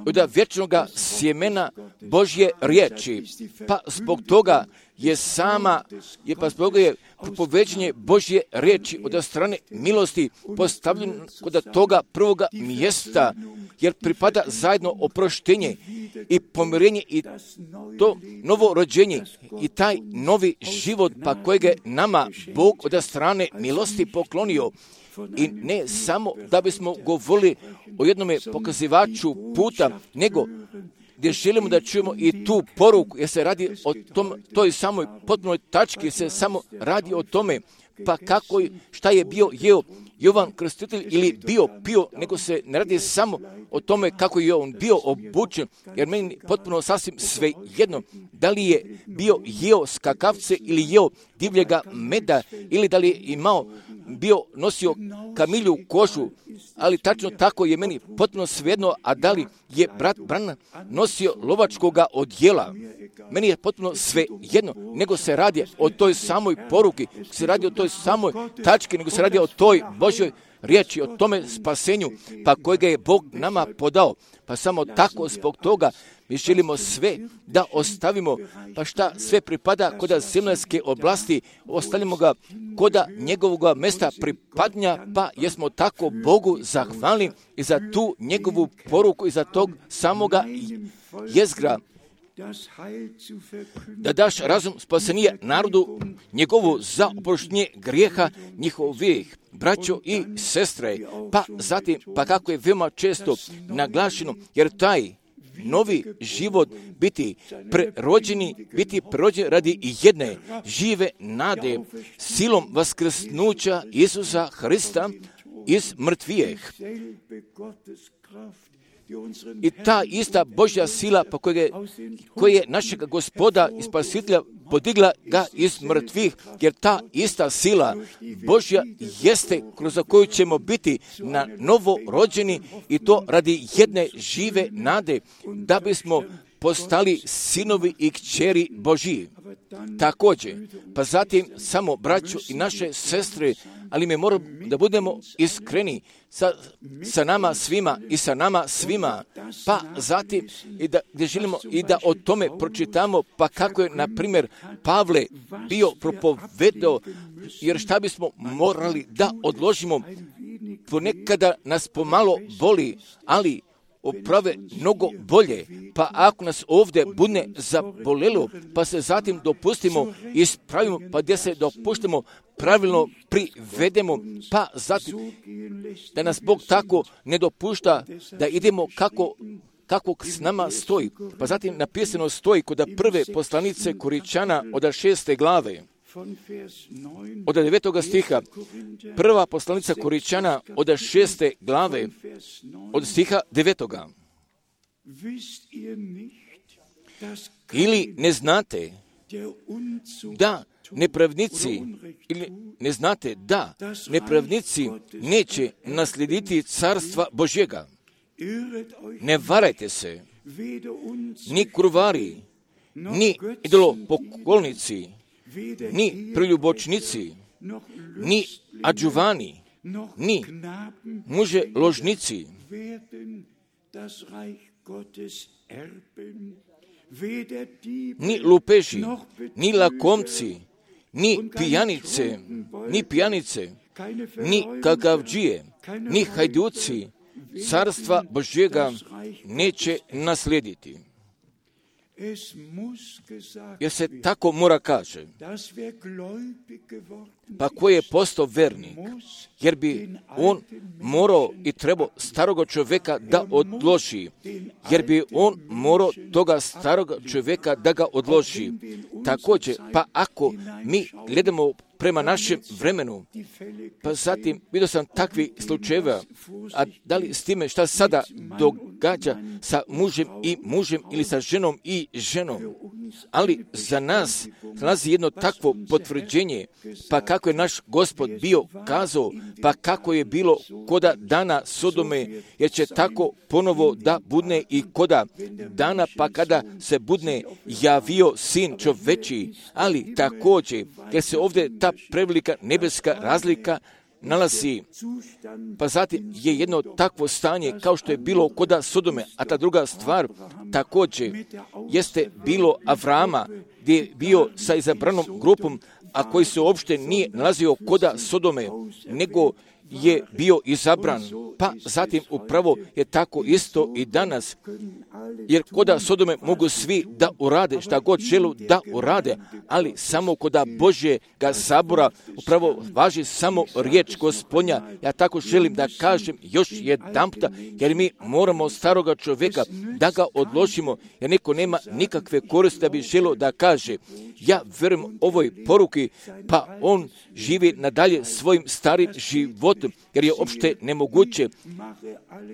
od vječnog sjemena Božje riječi. Pa zbog toga je propoveđenje Božje riječi od strane milosti postavljeno kod toga prvoga mjesta, jer pripada zajedno oproštenje i pomirenje i to novo rođenje i taj novi život, pa kojeg je nama Bog od strane milosti poklonio. I ne samo da bismo govorili o jednome pokazivaču puta, nego gdje želimo da čujemo i tu poruku, jer se radi o toj samoj potpunoj tački, se samo radi o tome, pa šta je bio jeo Jovan Krstitelj ili bio pio, nego se ne radi samo o tome kako je on bio obučen, jer meni potpuno sasvim sve jedno, da li je bio jeo skakavce ili jeo divljega meda, ili da li je nosio kamilju kožu, ali tačno tako je meni potpuno svejedno, a da li je brat Branham nosio lovačkoga odjela, meni je potpuno sve jedno, nego se radi o toj samoj poruki, se radi o toj samoj tački, nego se radi o toj Božjoj riječi, o tome spasenju, pa kojega je Bog nama podao. Pa samo tako zbog toga mi želimo sve da ostavimo, pa šta sve pripada kod zemaljske oblasti, ostavimo ga kod njegovog mjesta pripadnja, pa jesmo tako Bogu zahvalni i za tu njegovu poruku i za tog samoga jezgra. da daš razum spasenija narodu njegovu za oproštenje grijeha njihovih, braćo i sestre, pa zatim, pa kako je veoma često naglašeno, jer taj novi život biti prerođen radi jedne žive nade, silom vaskrsnuća Isusa Hrista iz mrtvijeh. I ta ista Božja sila koja je našeg Gospoda i Spasitelja podigla ga iz mrtvih, jer ta ista sila Božja jeste kroz koju ćemo biti na novo rođeni, i to radi jedne žive nade, da bismo postali sinovi i kćeri Božji. Također, pa zatim samo braćo i naše sestre, ali mi moramo da budemo iskreni sa nama svima i sa nama svima, pa zatim i da gdje želimo i da o tome pročitamo, pa kako je, na primjer, Pavle bio propovedao, jer šta bismo morali da odložimo, ponekada nas pomalo boli, ali oprave mnogo bolje, pa ako nas ovdje bude zabolelo, pa se zatim dopustimo, ispravimo, pa gdje se dopuštimo, pravilno privedemo, pa zatim da nas Bog tako ne dopušta da idemo kako s nama stoji. Pa zatim napisano stoji kod prve poslanice Koričana od 6. glave, od 9. stiha, prva poslanica Koričana od 6. glave, od stiha 9. Ili ne znate da nepravnici, ili ne znate da nepravnici neće naslijediti carstva Božjega. Ne varajte se, ni kurvari, ni idolopoklonici, ni preljubočnici, ni adžuvani, ni muže ložnici, ni lupeži, ni lakomci, ni pijanice, ni kakavdžije, ni hajduci, carstva Božjega neće naslijediti. Jer se tako mora kaže, pa ko je postao vernik, jer bi on morao i trebao staroga čovjeka da odloži, jer bi on morao toga staroga čovjeka da ga odloži. Također, pa ako mi gledamo prema našem vremenu, pa zatim vidio sam takvi slučajeva, a da li s time šta sada događa sa mužem ili sa ženom i ženom, ali za nas nalazi jedno takvo potvrđenje, pa kako je naš Gospod bio kazao, pa kako je bilo koda dana Sodome, jer će tako ponovo da budne i koda dana, pa kada se budne javio sin čovečiji, ali također, jer se ovdje ta prevelika nebeska razlika nalazi, pa zatim je jedno takvo stanje kao što je bilo koda Sodome, a ta druga stvar također jeste bilo Avrama, gdje je bio sa izabranom grupom, a koji se uopšte nije nalazio koda Sodome, nego je bio izabran. Pa zatim upravo je tako isto i danas, jer koda Sodome mogu svi da urade šta god želu da urade, ali samo koda Božjega sabora upravo važi samo riječ Gospodnja. Ja tako želim da kažem još jedanputa, jer mi moramo staroga čovjeka da ga odložimo, jer neko nema nikakve koristi da bi želio da kaže, ja verujem ovoj poruki, pa on živi nadalje svojim starim životom, jer je opšte nemoguće.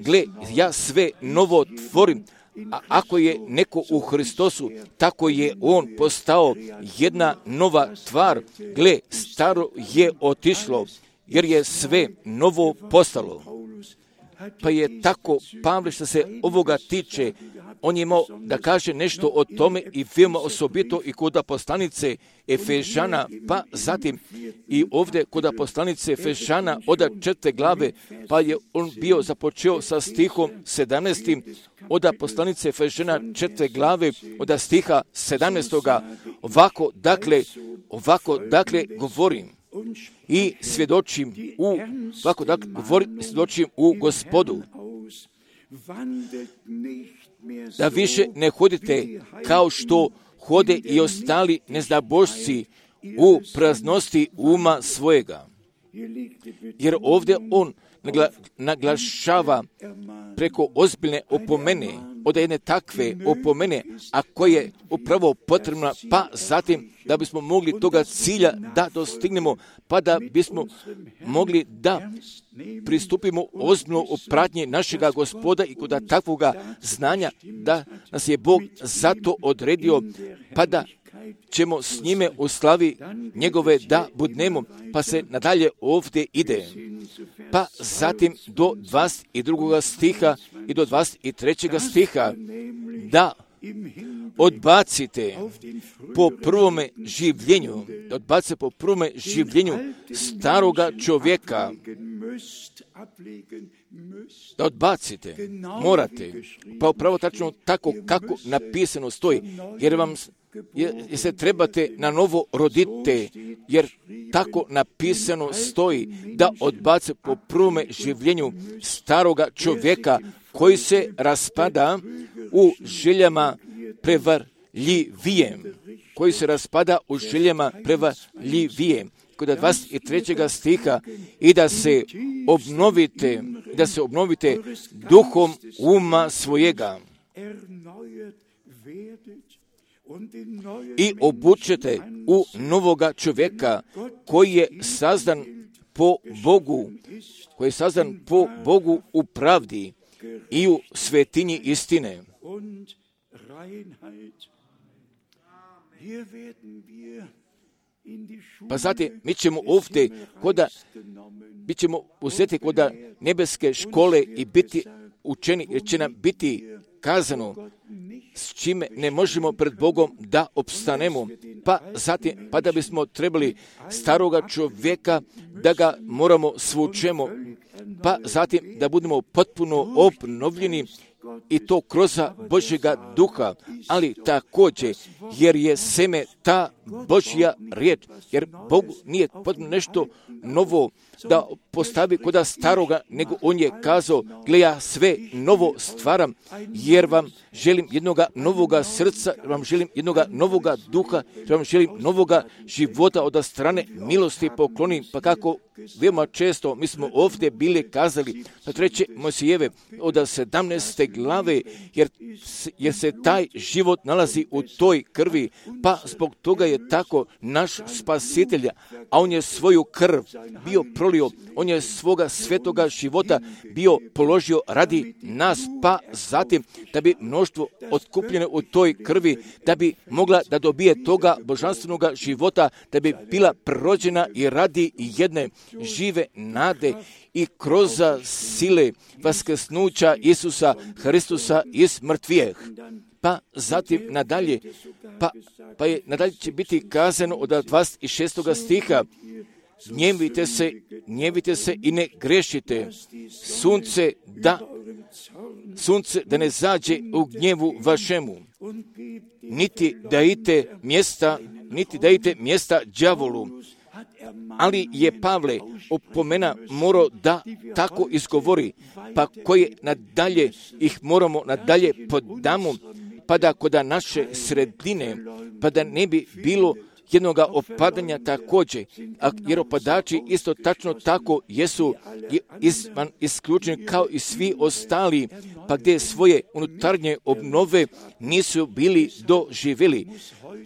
Gle, ja sve novo tvorim, a ako je neko u Hristosu, tako je on postao jedna nova tvar. Gle, staro je otišlo, jer je sve novo postalo. Pa je tako Pavle što se ovoga tiče, on je imao da kaže nešto o tome i veoma osobito i kod poslanice Efežana, pa zatim i ovdje kod poslanice Efežana od 4. glave, pa je on bio započeo sa stihom 17. od poslanice Efežana 4. glave od stiha 17. Ovako dakle govorim i svjedočim u Gospodu, da više ne hodite kao što hode i ostali neznabošci u praznosti uma svojega. Jer ovdje on naglašava preko ozbiljne opomene, od jedne takve opomene, a koja je upravo potrebna, pa zatim da bismo mogli toga cilja da dostignemo, pa da bismo mogli da pristupimo ozbiljno u pratnji našega Gospoda i kod takvoga znanja da nas je Bog zato odredio, pa da ćemo s njime u slavi njegove da budnemo, pa se nadalje ovdje ide. Pa zatim do 22. stiha i do 23. stiha da odbacite po prvome življenju, staroga čovjeka. Da odbacite, morate, pa upravo tačno tako kako napisano stoji, jer se trebate na novo rodite, jer tako napisano stoji da odbace po prvome življenju staroga čovjeka koji se raspada u željama prevarljivijem. Kod 23. stiha i da se obnovite duhom uma svojega i obučete u novoga čovjeka koji je sazdan po Bogu u pravdi i u svetinji istine. Pa zatim mi ćemo ovdje bit ćemo uzeti kod nebeske škole i biti učeni, jer će nam biti kazano s čime ne možemo pred Bogom da opstanemo, pa zatim, pa da bismo trebali staroga čovjeka da ga moramo svučemo, pa zatim da budemo potpuno obnovljeni i to kroz Božjega duha, ali također jer je seme ta Božja riječ, jer Bogu nije potrebno nešto novo da postavi kod staroga, nego on je kazao, gle, ja sve novo stvaram, jer vam želim jednoga novoga srca, jer vam želim jednoga novoga duha, jer vam želim novoga života od strane milosti poklonim, pa kako veoma često mi smo ovdje bili kazali na 3. Mojsijeve od 17. glave, jer se taj život nalazi u toj krvi, pa zbog toga je tako naš spasitelj, a on je svoju krv bio prolio, on je svoga svetoga života bio položio radi nas, pa zatim da bi mnoštvo otkupljeno u toj krvi, da bi mogla da dobije toga božanstvenoga života, da bi bila prođena i radi jedne žive nade i kroz sile vaskrsnuća Isusa Hristusa iz mrtvijeh. Pa zatim nadalje, pa je nadalje će biti kazano od 26. stiha, gnjevite se i ne grešite, sunce da ne zađe u gnjevu vašemu, niti dajte mjesta đavolu. Ali je Pavle opomena morao da tako izgovori, pa koje nadalje ih moramo nadalje podamo, pa da kod naše sredine, pa da ne bi bilo jednoga opadanja također, jer opadači isto tačno tako jesu isključeni kao i svi ostali, pa gdje svoje unutarnje obnove nisu bili doživjeli.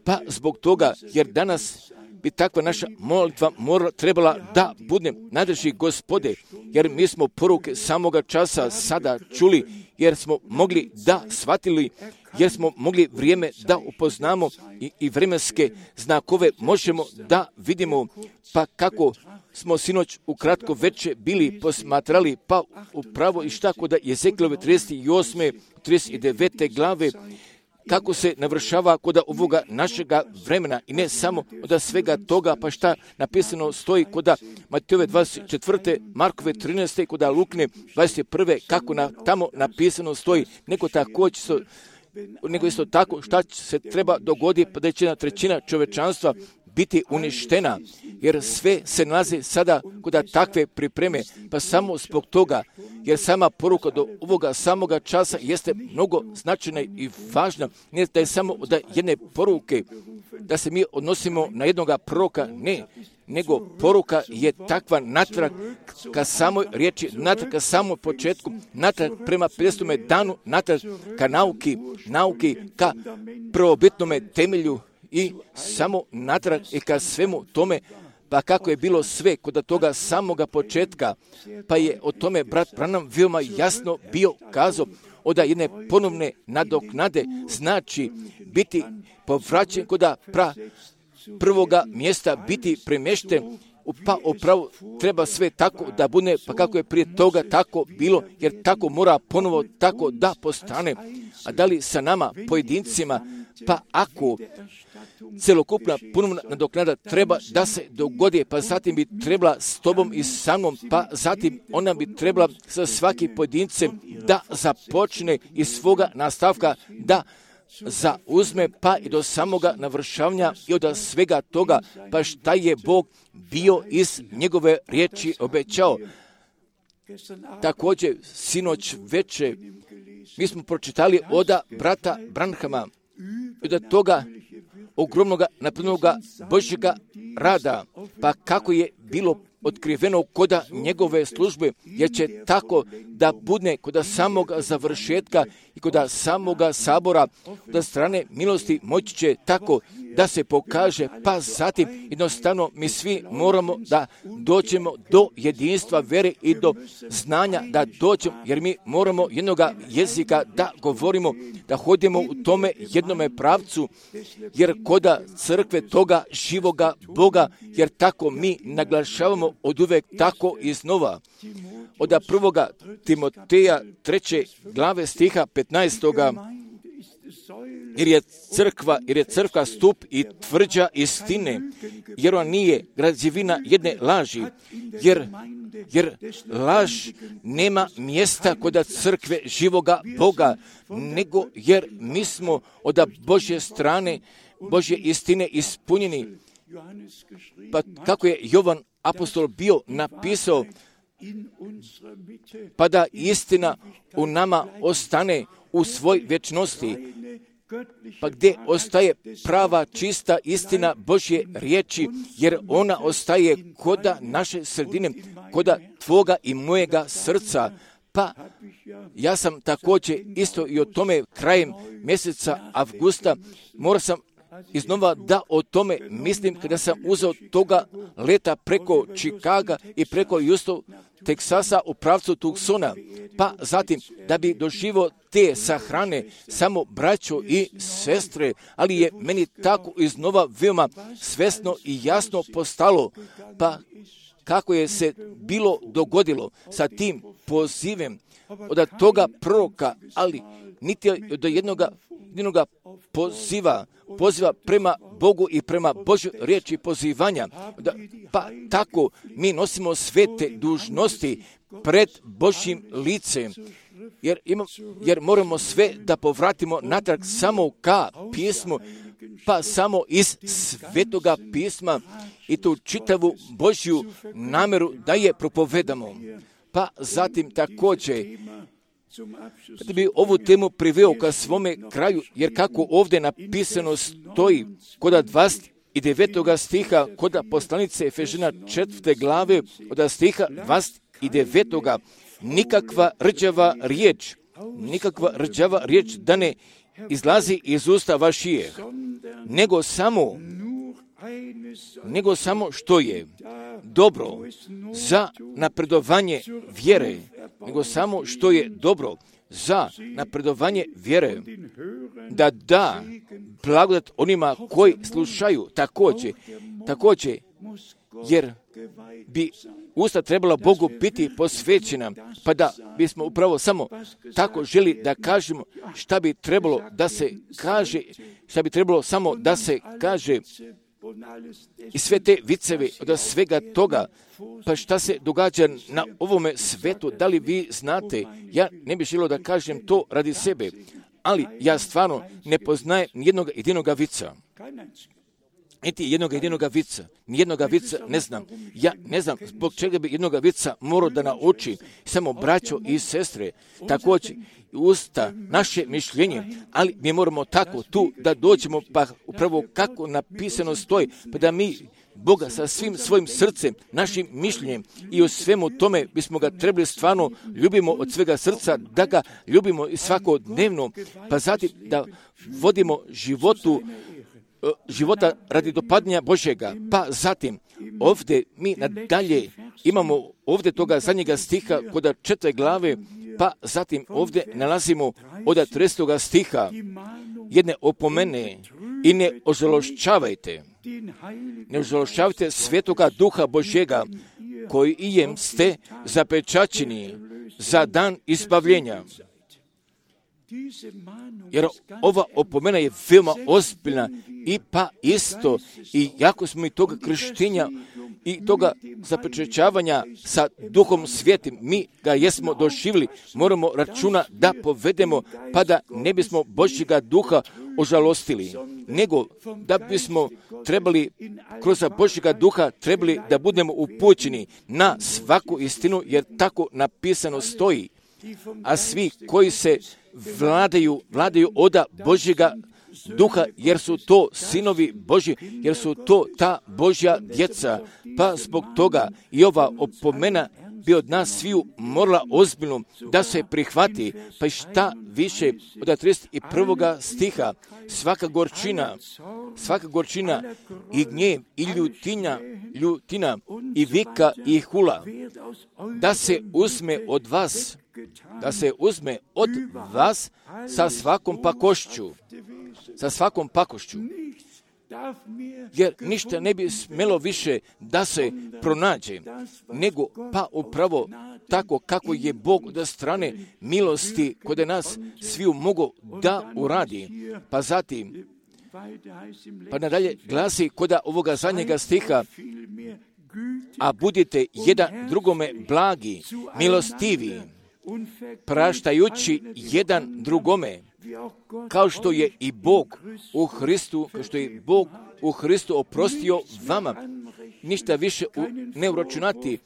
Pa zbog toga, jer danas bi takva naša molitva trebala da bude nadrži Gospode, jer mi smo poruke samoga časa sada čuli, jer smo mogli da shvatili, jer smo mogli vrijeme da upoznamo i vremenske znakove možemo da vidimo, pa kako smo sinoć ukratko veče bili posmatrali, pa upravo i šta kod Jezekijelove 38. 39. glave, kako se navršava kod ovoga našega vremena i ne samo od svega toga, pa šta napisano stoji kod Matejove 24. Markove 13. kod Lukne 21. kako tamo napisano stoji, nego isto tako šta se treba dogoditi, pa da će 1/3 čovečanstva biti uništena, jer sve se nalazi sada kod takve pripreme, pa samo zbog toga, jer sama poruka do ovoga samoga časa jeste mnogo značajna i važna, ne da je samo od jedne poruke, da se mi odnosimo na jednoga proroka, ne, nego poruka je takva natrag ka samoj riječi, natrag ka samom početku, natrag prema 50. danu, natrag ka nauki, ka prvobitnome temelju i samo natrag i ka svemu tome, pa kako je bilo sve kod toga samoga početka, pa je o tome brat Branham veoma jasno bio kazao, od jedne ponovne nadoknade znači biti povraćen kod prvoga mjesta, biti premješten, pa upravo treba sve tako da bude, pa kako je prije toga tako bilo, jer tako mora ponovo tako da postane. A da li sa nama, pojedincima, pa ako celokupna ponovna nadoknada treba da se dogodi, pa zatim bi trebala s tobom i sa mnom, pa zatim ona bi trebala sa svakim pojedincem da započne iz svoga nastavka, da zauzme pa i do samoga navršavanja i od svega toga, pa šta je Bog bio iz njegove riječi obećao. Također, sinoć veče, mi smo pročitali od brata Branhama i od toga ogromnog napravljenog Božjega rada, pa kako je bilo otkriveno koda njegove službe, jer će tako da bude koda samoga završetka i koda samoga sabora, da strane milosti moći će tako da se pokaže, pa zatim jednostavno mi svi moramo da dođemo do jedinstva vere i do znanja da dođemo, jer mi moramo jednoga jezika da govorimo, da hodimo u tome jednome pravcu, jer koda crkve toga živoga Boga, jer tako mi naglašavamo od uvek tako iznova. Od 1. Timoteja 3. glave stiha 15. Jer je crkva stup i tvrđa istine, jer on nije građevina jedne laži, jer laž nema mjesta kod crkve živoga Boga, nego jer mi smo od Božje strane, Božje istine ispunjeni. Pa kako je Jovan apostol bio napisao, pa da istina u nama ostane u svoj vječnosti, pa gdje ostaje prava čista istina Božje riječi, jer ona ostaje koda naše sredine, koda tvoga i mojega srca. Pa ja sam također isto i o tome krajem mjeseca avgusta morao sam iznova da o tome mislim kada sam uzeo toga leta preko Čikaga i preko Houston, Teksasa u pravcu Tucsona, pa zatim da bi doživio te sahrane samo braćo i sestre, ali je meni tako iznova veoma svesno i jasno postalo, pa kako je se bilo dogodilo sa tim pozivem od toga proroka, ali niti do jednoga poziva prema Bogu i prema Božoj riječi pozivanja. Pa tako mi nosimo sve te dužnosti pred Božjim licem, jer moramo sve da povratimo natrag samo ka pismu, pa samo iz svetoga pisma i tu čitavu Božju nameru da je propovedamo. Pa zatim također da bi ovu temu priveo ka svome kraju, jer kako ovdje napisano stoji kod 29. stiha, kod poslanice Efežana 4. glave, od stiha 29. nikakva rđava riječ da ne izlazi iz usta vašije, nego samo što je dobro za napredovanje vjere, da da blagodat onima koji slušaju također, jer bi usta trebala Bogu biti posvećena, pa da bismo upravo samo tako želi da kažemo šta bi trebalo da se kaže, šta bi trebalo samo da se kaže i sve te viceve od svega toga, pa šta se događa na ovome svetu, da li vi znate, ja ne bih želio da kažem to radi sebe, ali ja stvarno ne poznajem jednog jedinog vica. niti jednoga vica. Nijednoga vica ne znam. Ja ne znam zbog čega bi jednoga vica morao da nauči. Samo braćo i sestre, također usta, naše mišljenje, ali mi moramo tako tu da dođemo, pa upravo kako napisano stoji, pa da mi Boga sa svim svojim srcem, našim mišljenjem i u svemu tome bismo ga trebali stvarno ljubimo od svega srca, da ga ljubimo i svakodnevno, pa zatim da vodimo života radi dopadanja Božjega. Pa zatim ovdje mi nadalje imamo ovdje toga zadnjega stiha kod 4. glave, pa zatim ovdje nalazimo od 30. stiha jedne opomene i ne ožalošćavajte Svetoga Duha Božjega, koji ijem ste zapečaćeni za dan izbavljenja. Jer ova opomena je veoma ozbiljna i pa isto, i jako smo i toga krštenja i toga zapečaćavanja sa Duhom Svijetim, mi ga jesmo doživjeli, moramo računa da povedemo, pa da ne bismo Božjega Duha ožalostili, nego da bismo trebali kroz Božjega Duha trebali da budemo upućeni na svaku istinu, jer tako napisano stoji. A svi koji se vladaju od Božjega Duha, jer su to sinovi Božji, jer su to ta Božja djeca. Pa zbog toga i ova opomena bi od nas sviju morala ozbiljno da se prihvati. Pa i šta više od 31. stiha, svaka gorčina i gnjev i ljutina i vika i hula, da se uzme od vas sa svakom pakošću. Jer ništa ne bi smjelo više da se pronađe, nego pa upravo tako kako je Bog od strane milosti kod nas sviju mogu da uradi. Pa zatim, pa nadalje glasi kod ovoga zadnjega stiha, a budite jedan drugome blagi, milostivi, praštajući jedan drugome, kao što je i Bog u Hristu oprostio vama. Ništa više ne uračunati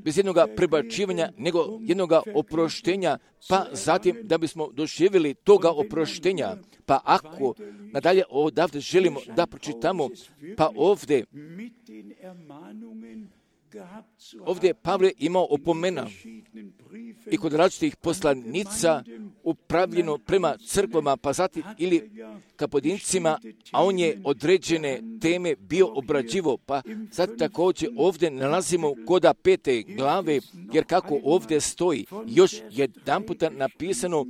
bez jednog prebačivanja, nego jednog oproštenja, pa zatim da bismo doživjeli toga oproštenja. Pa ako nadalje odavde želimo da pročitamo, pa ovdje je Pavle imao opomena i kod različitih poslanica upravljeno prema crkvama, pa zatim ili ka pojedincima, a on je određene teme bio obrađivo. Pa sad također ovdje nalazimo kod 5. glave, jer kako ovdje stoji još jedan puta napisano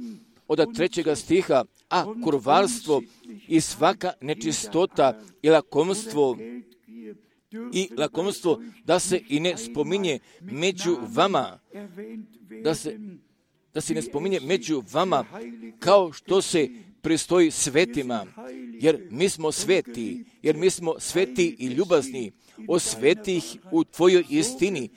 od 3. stiha, a kurvarstvo i svaka nečistota i lakomstvo da se i ne spominje među vama, da se ne spominje među vama kao što se pristoji svetima, jer mi smo sveti i ljubazni, osveti ih u tvojoj istini.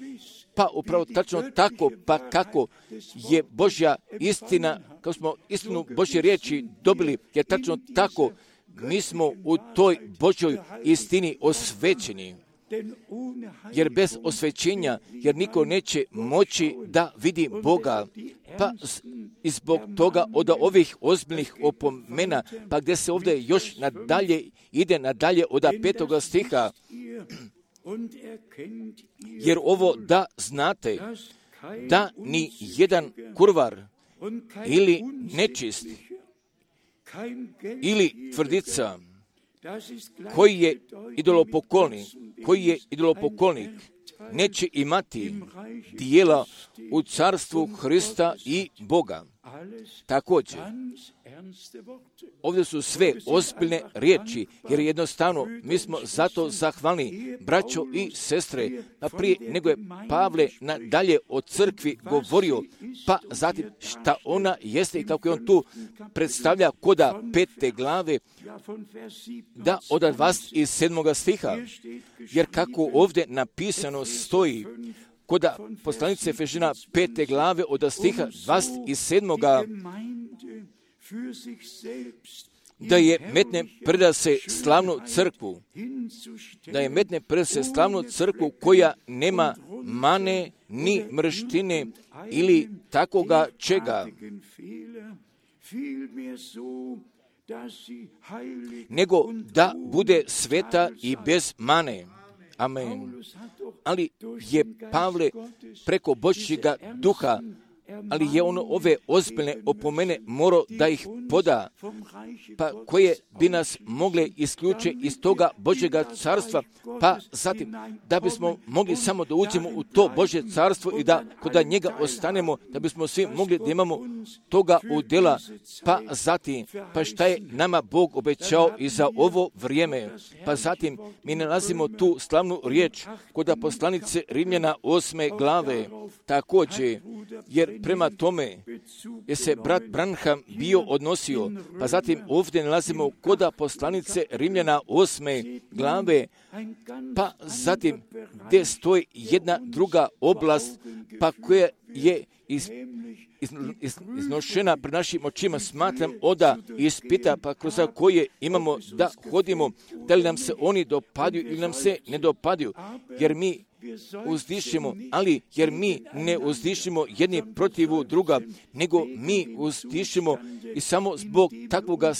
Pa upravo tačno tako, pa kako je Božja istina, kao smo istinu Božje riječi dobili, jer tačno tako mi smo u toj Božjoj istini osvećeni. Jer bez osvećenja, jer niko neće moći da vidi Boga. Pa i zbog toga od ovih ozbiljnih opomena, pa gdje se ovdje još ide nadalje od 5. stiha, jer ovo da znate, da ni jedan kurvar ili nečist ili tvrdica koji je idolopoklonik neće imati dijela u carstvu Hrista i Boga. Također, ovdje su sve ozbiljne riječi, jer jednostavno mi smo zato zahvalni, braćo i sestre, a prije nego je Pavle nadalje o crkvi govorio, pa zatim šta ona jeste i kako je on tu predstavlja koda 5. glave, da od 27. stiha, jer kako ovdje napisano stoji, kod poslanice Efežana 5. glave od stiha 27. da je metne predase slavnu crkvu, da je metne predase slavnu crkvu koja nema mane ni mrštine ili takoga čega, nego da bude sveta i bez mane. Amen. Ali je Pavle preko Božjega duha, ali je on ove ozbiljne opomene morao da ih poda, pa koje bi nas mogle isključiti iz toga Božjega carstva, pa zatim da bismo mogli samo da uđemo u to Božje carstvo i da kod njega ostanemo, da bismo svi mogli da imamo toga udjela, pa zatim, pa šta je nama Bog obećao i za ovo vrijeme, pa zatim mi nalazimo tu slavnu riječ kod poslanice Rimljana 8. glave, također, jer prema tome je se brat Branham bio odnosio, pa zatim ovdje nalazimo kod poslanice Rimljana 8. glave, pa zatim gdje stoji jedna druga oblast, pa koja je iznošena pred našim očima, smatram oda ispita, pa kroz koje imamo da hodimo, da li nam se oni dopaduju ili nam se ne dopaduju, jer mi uzdišemo, ali jer mi ne uzdišemo jedni protiv druga, nego mi uzdišemo i samo zbog takvoga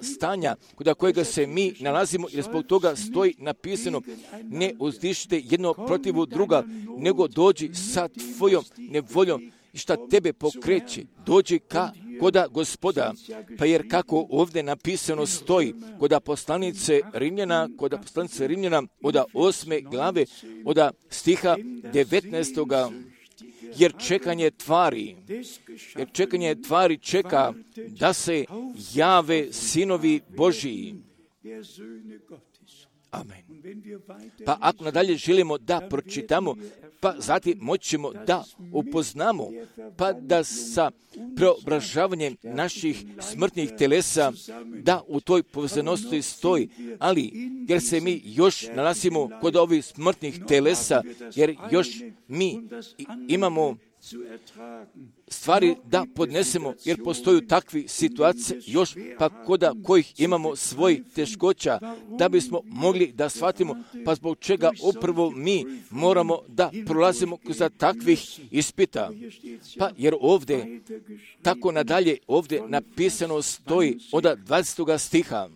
stanja kod kojega se mi nalazimo, jer zbog toga stoji napisano, ne uzdišite jedno protiv druga, nego dođi sa tvojom nevoljom i šta tebe pokreće, dođi koda Gospoda, pa jer kako ovdje napisano stoji kod poslanice Rimljana od 8. glave, od stiha 19. Jer čekanje tvari čeka da se jave sinovi Božiji. Amen. Pa ako nadalje želimo da pročitamo, pa zatim moći ćemo da upoznamo, pa da sa preobražavanjem naših smrtnih telesa, da u toj povezanosti stoji, ali jer se mi još nalazimo kod ovih smrtnih telesa, jer još mi imamo stvari da podnesemo, jer postoju takvi situacije još, pa koda kojih imamo svoj teškoća, da bismo mogli da shvatimo, pa zbog čega upravo mi moramo da prolazimo kroz takvih ispita. Pa jer ovdje, tako nadalje, ovdje napisano stoji od 20. stiha.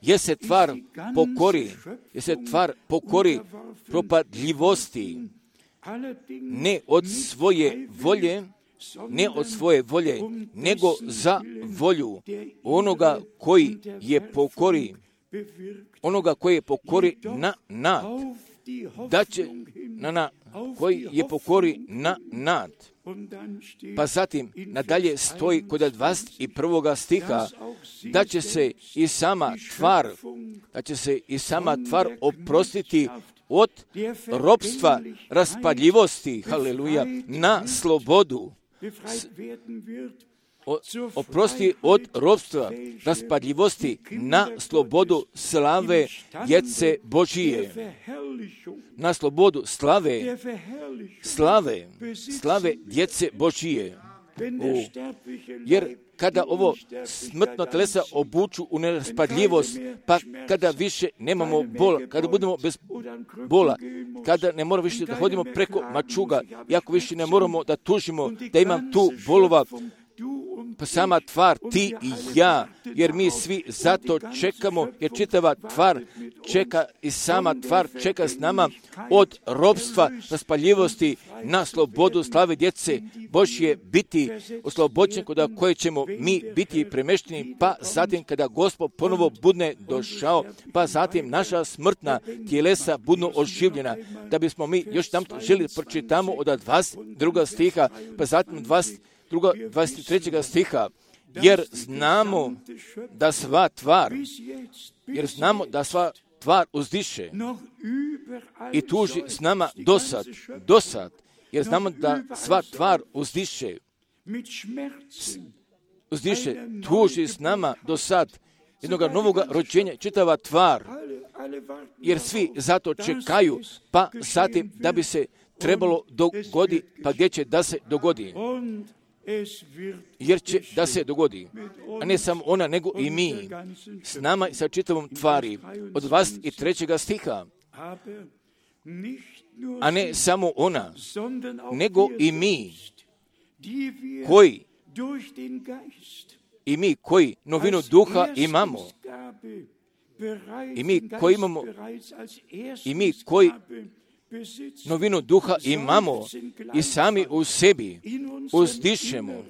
Jer se tvar pokori propadljivosti, ne od svoje volje, nego za volju onoga koji je pokori na nad, da će koji je pokori na nad. Pa zatim nadalje stoji kod 21. stiha da će se i sama tvar oprostiti od ropstva raspadljivosti, haleluja, na slobodu. Oprosti od ropstva raspadljivosti na slobodu slave djece Božije. Na slobodu slave djece Božije. Jer kada ovo smrtno telesa obuču u neraspadljivost, pa kada više nemamo bola, kada budemo bez bola, kada ne moramo više da hodimo preko mačuga, iako više ne moramo da tužimo, da imam tu bolova, pa sama tvar, ti i ja, jer mi svi zato čekamo, jer čitava tvar čeka i sama tvar čeka s nama od ropstva raspaljivosti na slobodu slave djece Božje biti oslobođen, kod koje ćemo mi biti premešteni, pa zatim kada Gospod ponovo bude došao, pa zatim naša smrtna tijelesa budu oživljena, da bismo mi još tam želi pročitamo od 22. stiha, pa zatim 23. stiha, jer znamo da sva tvar uzdiše i tuži s nama dosad, jer znamo da sva tvar uzdiše, tuži s nama dosad jednog novoga rođenja, čitava tvar, jer svi zato čekaju, pa zatim da bi se trebalo dogodi, pa gdje će da se dogodi. jer će da se dogodi, a ne samo ona, nego i mi, s nama i sa čitavom tvari, od 23. stiha, a ne samo ona, nego i mi koji novinu duha imamo, i mi koji novinu duha imamo i sami u sebi uzdišemo,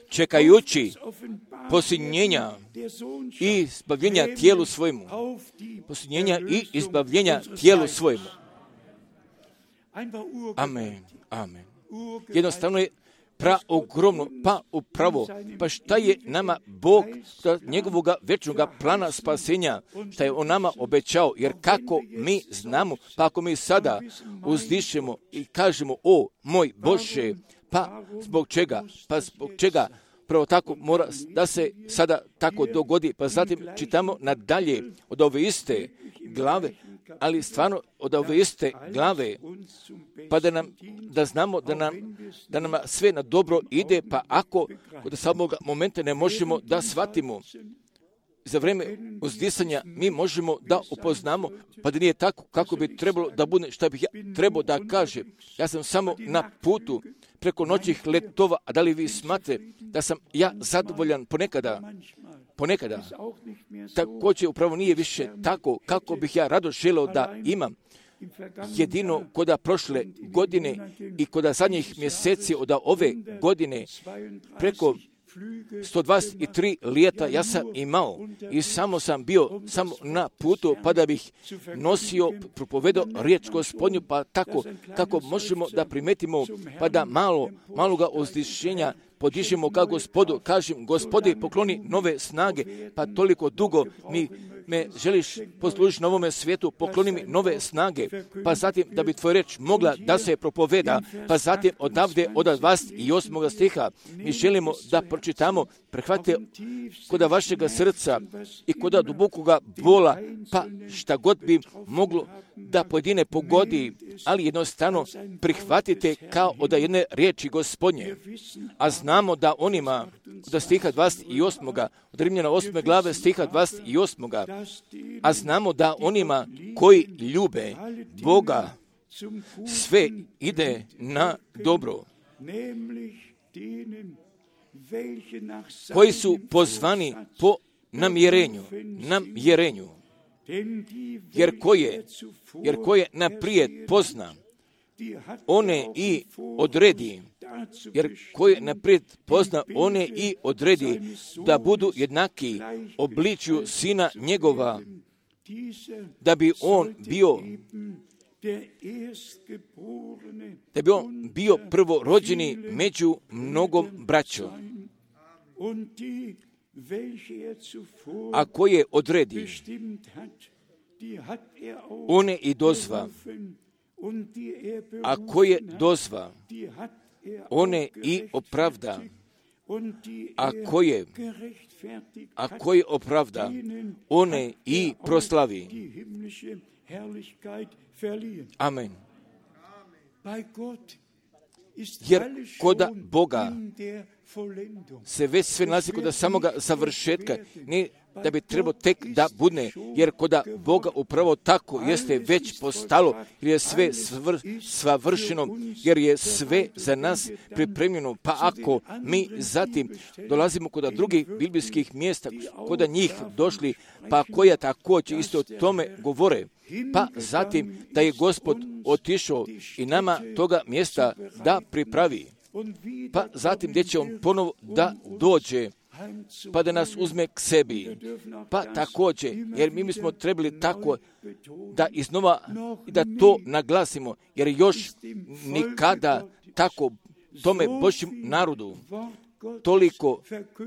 čekajući posljednjenja i izbavljenja tijelu svojemu. Posljednjenja i izbavljenja tijelu svojemu. Amen. Amen. Jednostavno je praogromno, pa upravo, pa šta je nama Bog njegovoga večnoga plana spasenja, šta je on nama obećao, jer kako mi znamo, pa ako mi sada uzdišemo i kažemo, o moj Bože, pa zbog čega, prvo tako mora da se sada tako dogodi, pa zatim čitamo nadalje od ove iste glave, ali stvarno od ove iste glave, pa da znamo da nam sve na dobro ide, pa ako od samog momenta ne možemo da shvatimo za vreme uzdisanja, mi možemo da upoznamo, pa da nije tako kako bi trebalo da bude, šta bih ja trebao da kaže. Ja sam samo na putu preko noćnih letova, a da li vi smatrate da sam ja zadovoljan ponekada, također upravo nije više tako kako bih ja rado želeo da imam. Jedino koda prošle godine i koda zadnjih mjeseci od ove godine preko 123 lijeta ja sam imao i samo sam bio na putu pa da bih nosio, propovedao riječ Gospodnju, pa tako kako možemo da primetimo, pa da maloga uzdišenja podižemo ka Gospodu, kažem, Gospodi, pokloni nove snage, pa toliko dugo me želiš poslužiti na ovome svijetu, pokloni mi nove snage, pa zatim da bi tvoj reč mogla da se propoveda, pa zatim odavde od 28. stiha mi želimo da pročitamo, prehvatite koda vašega srca i koda dubokoga bola, pa šta god bi moglo da pojedine pogodi, ali jednostavno prihvatite kao od jedne riječi Gospodnje. A znamo da onima, od stiha 28. od Rimljana 8. glave stiha 28. A znamo da onima koji ljube Boga sve ide na dobro, koji su pozvani po namjerenju, jer koje naprijed pozna, one i odredi, da budu jednaki obličju Sina njegova, da bi on bio prvorođeni među mnogom braćom. A koje odredi, one i dozva. A koje dozva, one i opravda. A koje opravda, one i proslavi. Amen. Jer koda Boga se već sve nalazi koda samoga završetka, ne da bi trebalo tek da budne, jer koda Boga upravo tako jeste već postalo, jer je sve savršeno, jer je sve za nas pripremljeno. Pa ako mi zatim dolazimo koda drugih biblijskih mjesta, koda njih došli, pa koja također isto o tome govore, pa zatim da je Gospod otišao i nama toga mjesta da pripravi, pa zatim gdje će on ponovo da dođe, pa da nas uzme k sebi. Pa također, jer mi smo trebali tako da iznova da to naglasimo, jer još nikada tako tome Božjem narodu toliko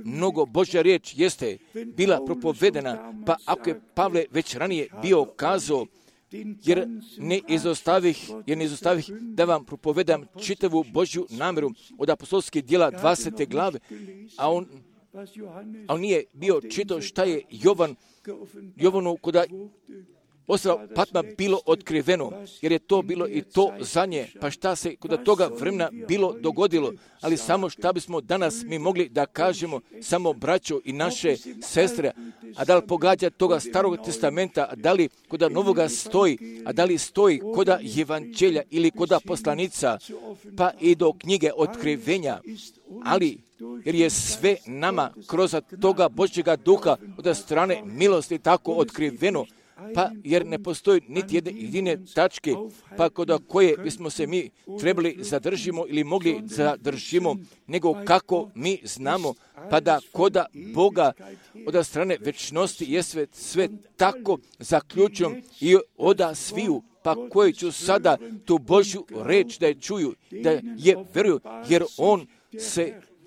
mnogo Božja riječ jeste bila propovedena, pa ako je Pavle već ranije bio kazao, jer ne izostavih da vam propovedam čitavu Božju namjeru od apostolskih djela 20. glave, a on nije bio čitao šta je Jovanu koda ostrva Patma bilo otkriveno, jer je to bilo i to za nje, pa šta se kod toga vremena bilo dogodilo, ali samo šta bismo danas mi mogli da kažemo, samo braćo i naše sestre, a da li pogađa toga Starog testamenta, a da li kod Novoga stoji, a da li stoji kod Evanđelja ili kod poslanica, pa i do knjige otkrivenja, ali jer je sve nama kroz toga Božjega duha od strane milosti tako otkriveno, pa jer ne postoji niti jedne jedine tačke, pa kod koje bismo se mi trebali zadržimo ili mogli zadržimo, nego kako mi znamo, pa da kod Boga od strane večnosti je sve tako zaključeno i oda sviju, pa koji ću sada tu Božju reč da je čuju, da je veruju,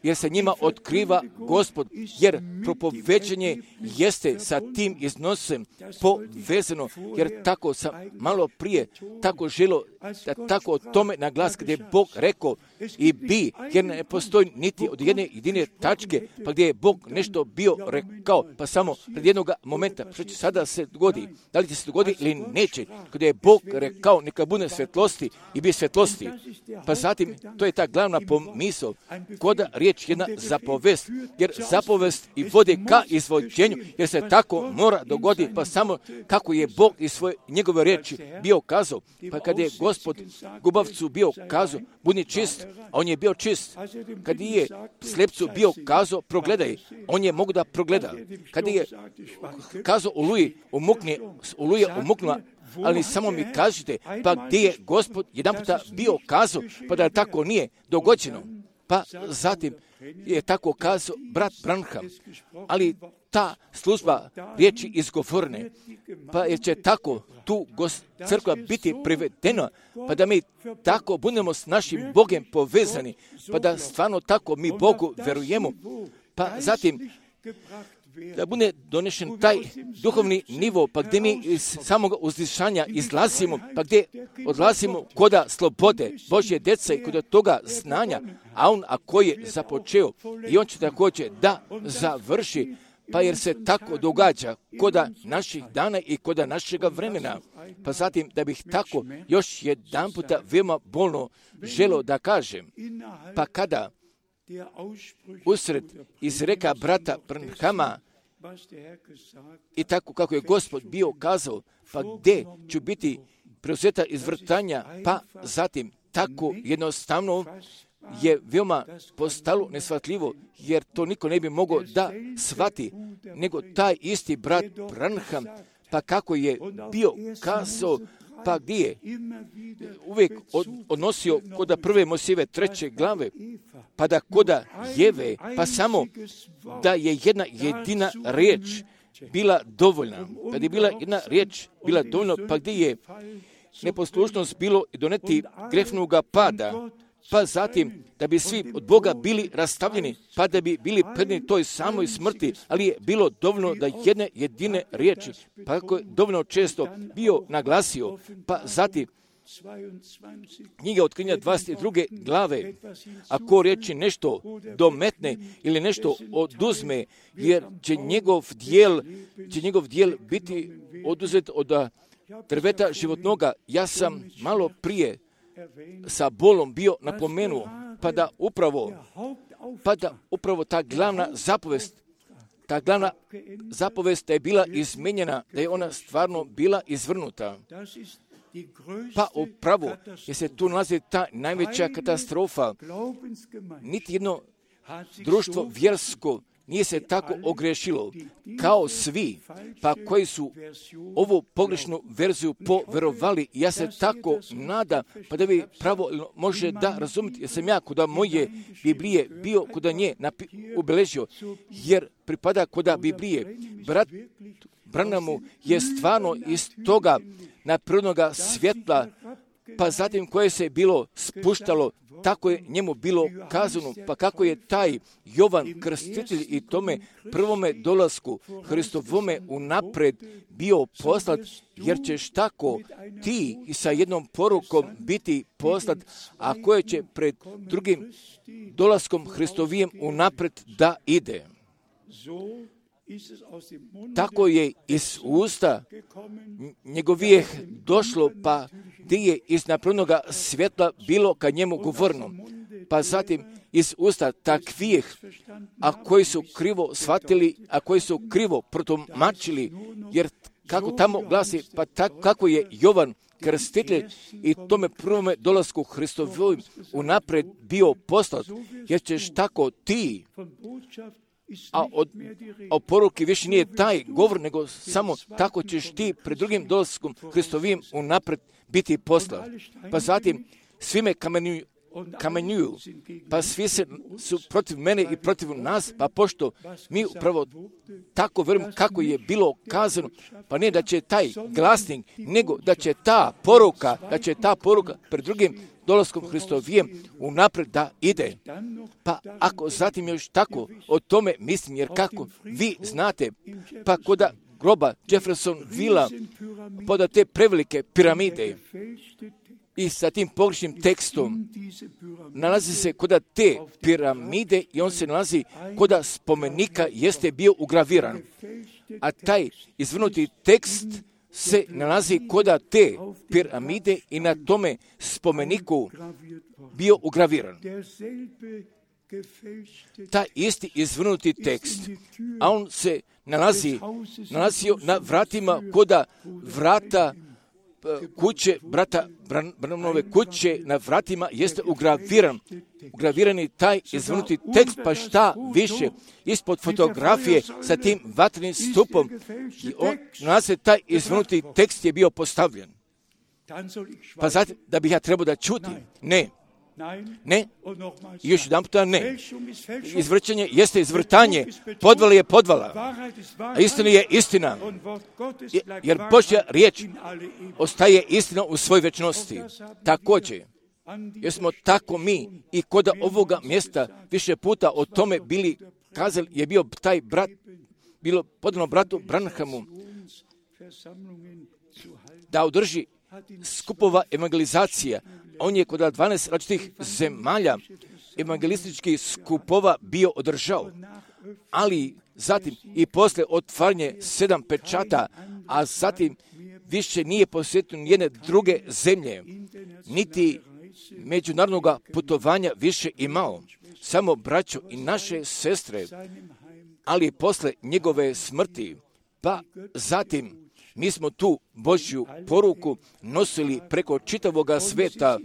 jer se njima otkriva Gospod, jer propoveđenje jeste sa tim iznosem povezano, jer tako sam malo prije tako želio da tako o tome naglas gdje je Bog rekao i bi, jer ne postoji niti od jedne jedine tačke, pa gdje je Bog nešto bio rekao, pa samo pred jednog momenta, što će sada se dogodi, da li će se dogodi ili neće, gdje je Bog rekao neka bude svjetlosti i bi svjetlosti, pa zatim to je ta glavna pomisao, koda riječ jedna zapovest, jer zapovest i vodi ka izvođenju, jer se tako mora dogoditi, pa samo kako je Bog iz svoje njegove riječi bio kazao, pa kad je Gospod gubavcu bio kazao, budi čist, a on je bio čist. Kad je slepcu bio kazao, progledaj, on je mogu da progleda. Kad je kazao Oluja umuknula, ali samo mi kažite, pa gdje je Gospod jedan puta bio kazao, pa da tako nije dogođeno. Pa zatim je tako kazao brat Branham, ali ta služba riječi izgovorene, pa jer će tako tu crkva biti privedena, pa da mi tako budemo s našim Bogom povezani, pa da stvarno tako mi Bogu verujemo, pa zatim da bude donešen taj duhovni nivo, pa gdje mi iz samog uzdišanja izlazimo, pa gdje odlazimo koda slobode Božje djece i kod toga znanja, a on ako je započeo i on će također da završi, pa jer se tako događa koda naših dana i koda našega vremena. Pa zatim da bih tako još jedan puta veoma bolno želio da kažem, pa kada usred izreka brata Branhama i tako kako je Gospod bio kazao, pa gdje ću biti preuzeta iz vrtanja, pa zatim tako jednostavno je veoma postalo neshvatljivo, jer to niko ne bi mogao da shvati, nego taj isti brat Branham, pa kako je bio kazao, pa gdje je uvijek odnosio koda prve Mojsijeve 3. glave, pa da koda Jeve, pa samo da je jedna jedina riječ bila dovoljna. Kad je bila jedna riječ bila dovoljna, pa gdje je neposlušnost bilo doneti grehnoga pada, pa zatim da bi svi od Boga bili rastavljeni, pa da bi bili predni toj samoj smrti, ali je bilo dovoljno da jedne jedine riječi, pa kako je dovoljno često bio naglasio, pa zatim knjiga Otkrivenja 22. glave, ako riječi nešto dometne ili nešto oduzme, jer će njegov dijel biti oduzet od drveta životnoga. Ja sam malo prije sa bolom bio napomenuo, pa da upravo ta glavna zapovest da je bila izmenjena, da je ona stvarno bila izvrnuta. Pa upravo jer se tu nalazi ta najveća katastrofa. Niti jedno društvo vjersko nije se tako ogrešilo kao svi, pa koji su ovu pogrešnu verziju poverovali. Ja se tako nadam, pa da vi pravo može da razumite, jer sam ja kod moje Biblije bio kod nje ubeležio, jer pripada kod Biblije. Brat Branhamu je stvarno iz toga naprirodnoga svjetla, pa zatim koje se bilo spuštalo, tako je njemu bilo kazano, pa kako je taj Jovan Krstitelj i tome prvome dolasku Hristovome unapred bio poslat, jer ćeš tako ti i sa jednom porukom biti poslat, a koje će pred drugim dolaskom Hristovijem unapred da ide. tako je iz usta njegovijeh došlo, pa gdje je iz napravnoga svjetla bilo ka njemu govorno. Pa zatim iz usta takvijeh, a koji su krivo shvatili, a koji su krivo protumačili, jer kako tamo glasi, pa tako kako je Jovan Krstitelj i tome prvome dolasku Hristovim unaprijed bio poslat, jer ćeš tako ti, a o poruki više nije taj govor, nego samo tako ćeš ti pred drugim dolaskom Hristovim unaprijed biti poslat. Pa zatim svime kamenjuju, pa svi su protiv mene i protiv nas, pa pošto mi upravo tako vjerujemo kako je bilo kazano, pa ne da će taj glasnik, nego da će ta poruka pred drugim dolaskom Hristovijem unaprijed da ide. Pa ako zatim još tako o tome mislim, jer kako vi znate, pa kod groba Jeffersonvilla, poda te prevelike piramide, i sa tim pogrešnim tekstom nalazi se kod te piramide i on se nalazi kod spomenika jeste bio ugraviran. A taj izvrnuti tekst se nalazi kod te piramide i na tome spomeniku bio ugraviran. Taj isti izvrnuti tekst, a on se nalazio na vratima kod vrata kuće, brata Branhamove kuće, na vratima jeste ugravirani taj izvrnuti tekst, pa šta više, ispod fotografije sa tim vatrenim stupom, i nalazi taj izvrnuti tekst je bio postavljen. Pa zatim, da bih ja trebao da čutim? Ne. I još jedan puta ne. Izvrćanje jeste izvrtanje, podvala je podvala, a istina je istina, jer Božja riječ ostaje istina u svoj večnosti. Također, jer smo tako mi i kod ovoga mjesta više puta o tome bili kazali, je bio taj brat, bilo podano bratu Branhamu da održi skupova evangelizacija. On je kod 12 različitih zemalja evangelističkih skupova bio održao, ali zatim i poslije otvaranje 7 pečata, a zatim više nije posjetio nijedne druge zemlje, niti međunarodnog putovanja više imao, samo braćo i naše sestre, ali posle njegove smrti, pa zatim mi smo tu Božju poruku nosili preko čitavoga sveta,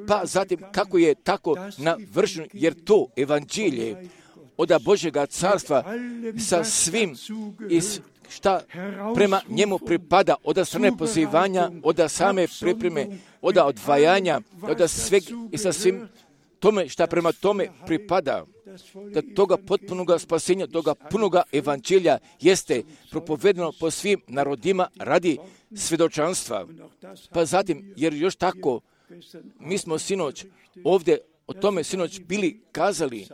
pa zatim kako je tako navršeno, jer to evanđelje od Božjega carstva sa svim šta prema njemu pripada, od strane pozivanja, od same pripreme, od odvajanja, od sveg i sa svim tome šta prema tome pripada, da toga potpunoga spasenja, toga punoga evanđelja jeste propovedeno po svim narodima radi svjedočanstva. Pa zatim, jer još tako, mi smo sinoć ovdje o tome sinoć bili kazali,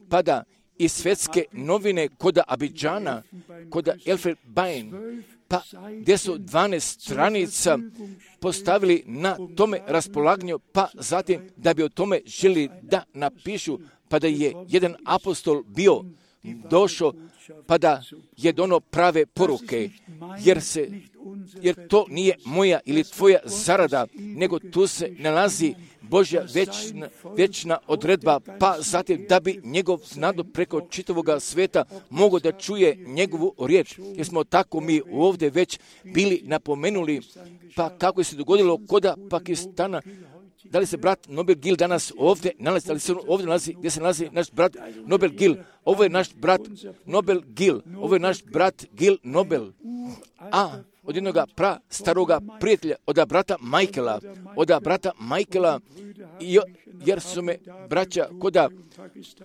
pa da i svjetske novine kod Abidžana, kod Elfenbein, pa gdje su 12 stranica postavili na tome raspolaganju, pa zatim da bi o tome želi da napišu, pa da je jedan apostol bio došao, pa da je dono prave poruke, jer to nije moja ili tvoja zarada, nego tu se nalazi Božja večna odredba, pa zatim da bi njegov narod preko čitavoga sveta mogao da čuje njegovu riječ. Jer smo tako mi ovdje već bili napomenuli, pa kako je se dogodilo kod Pakistana. Da li se brat Nobel Gil danas ovdje nalazi, da li se ovdje nalazi, gdje se nalazi naš brat Nobel Gil? Ovo je naš brat Nobel Gil, ovo je naš brat Gil Nobel. A od jednoga staroga prijatelja, od brata Michaela, jer su me braća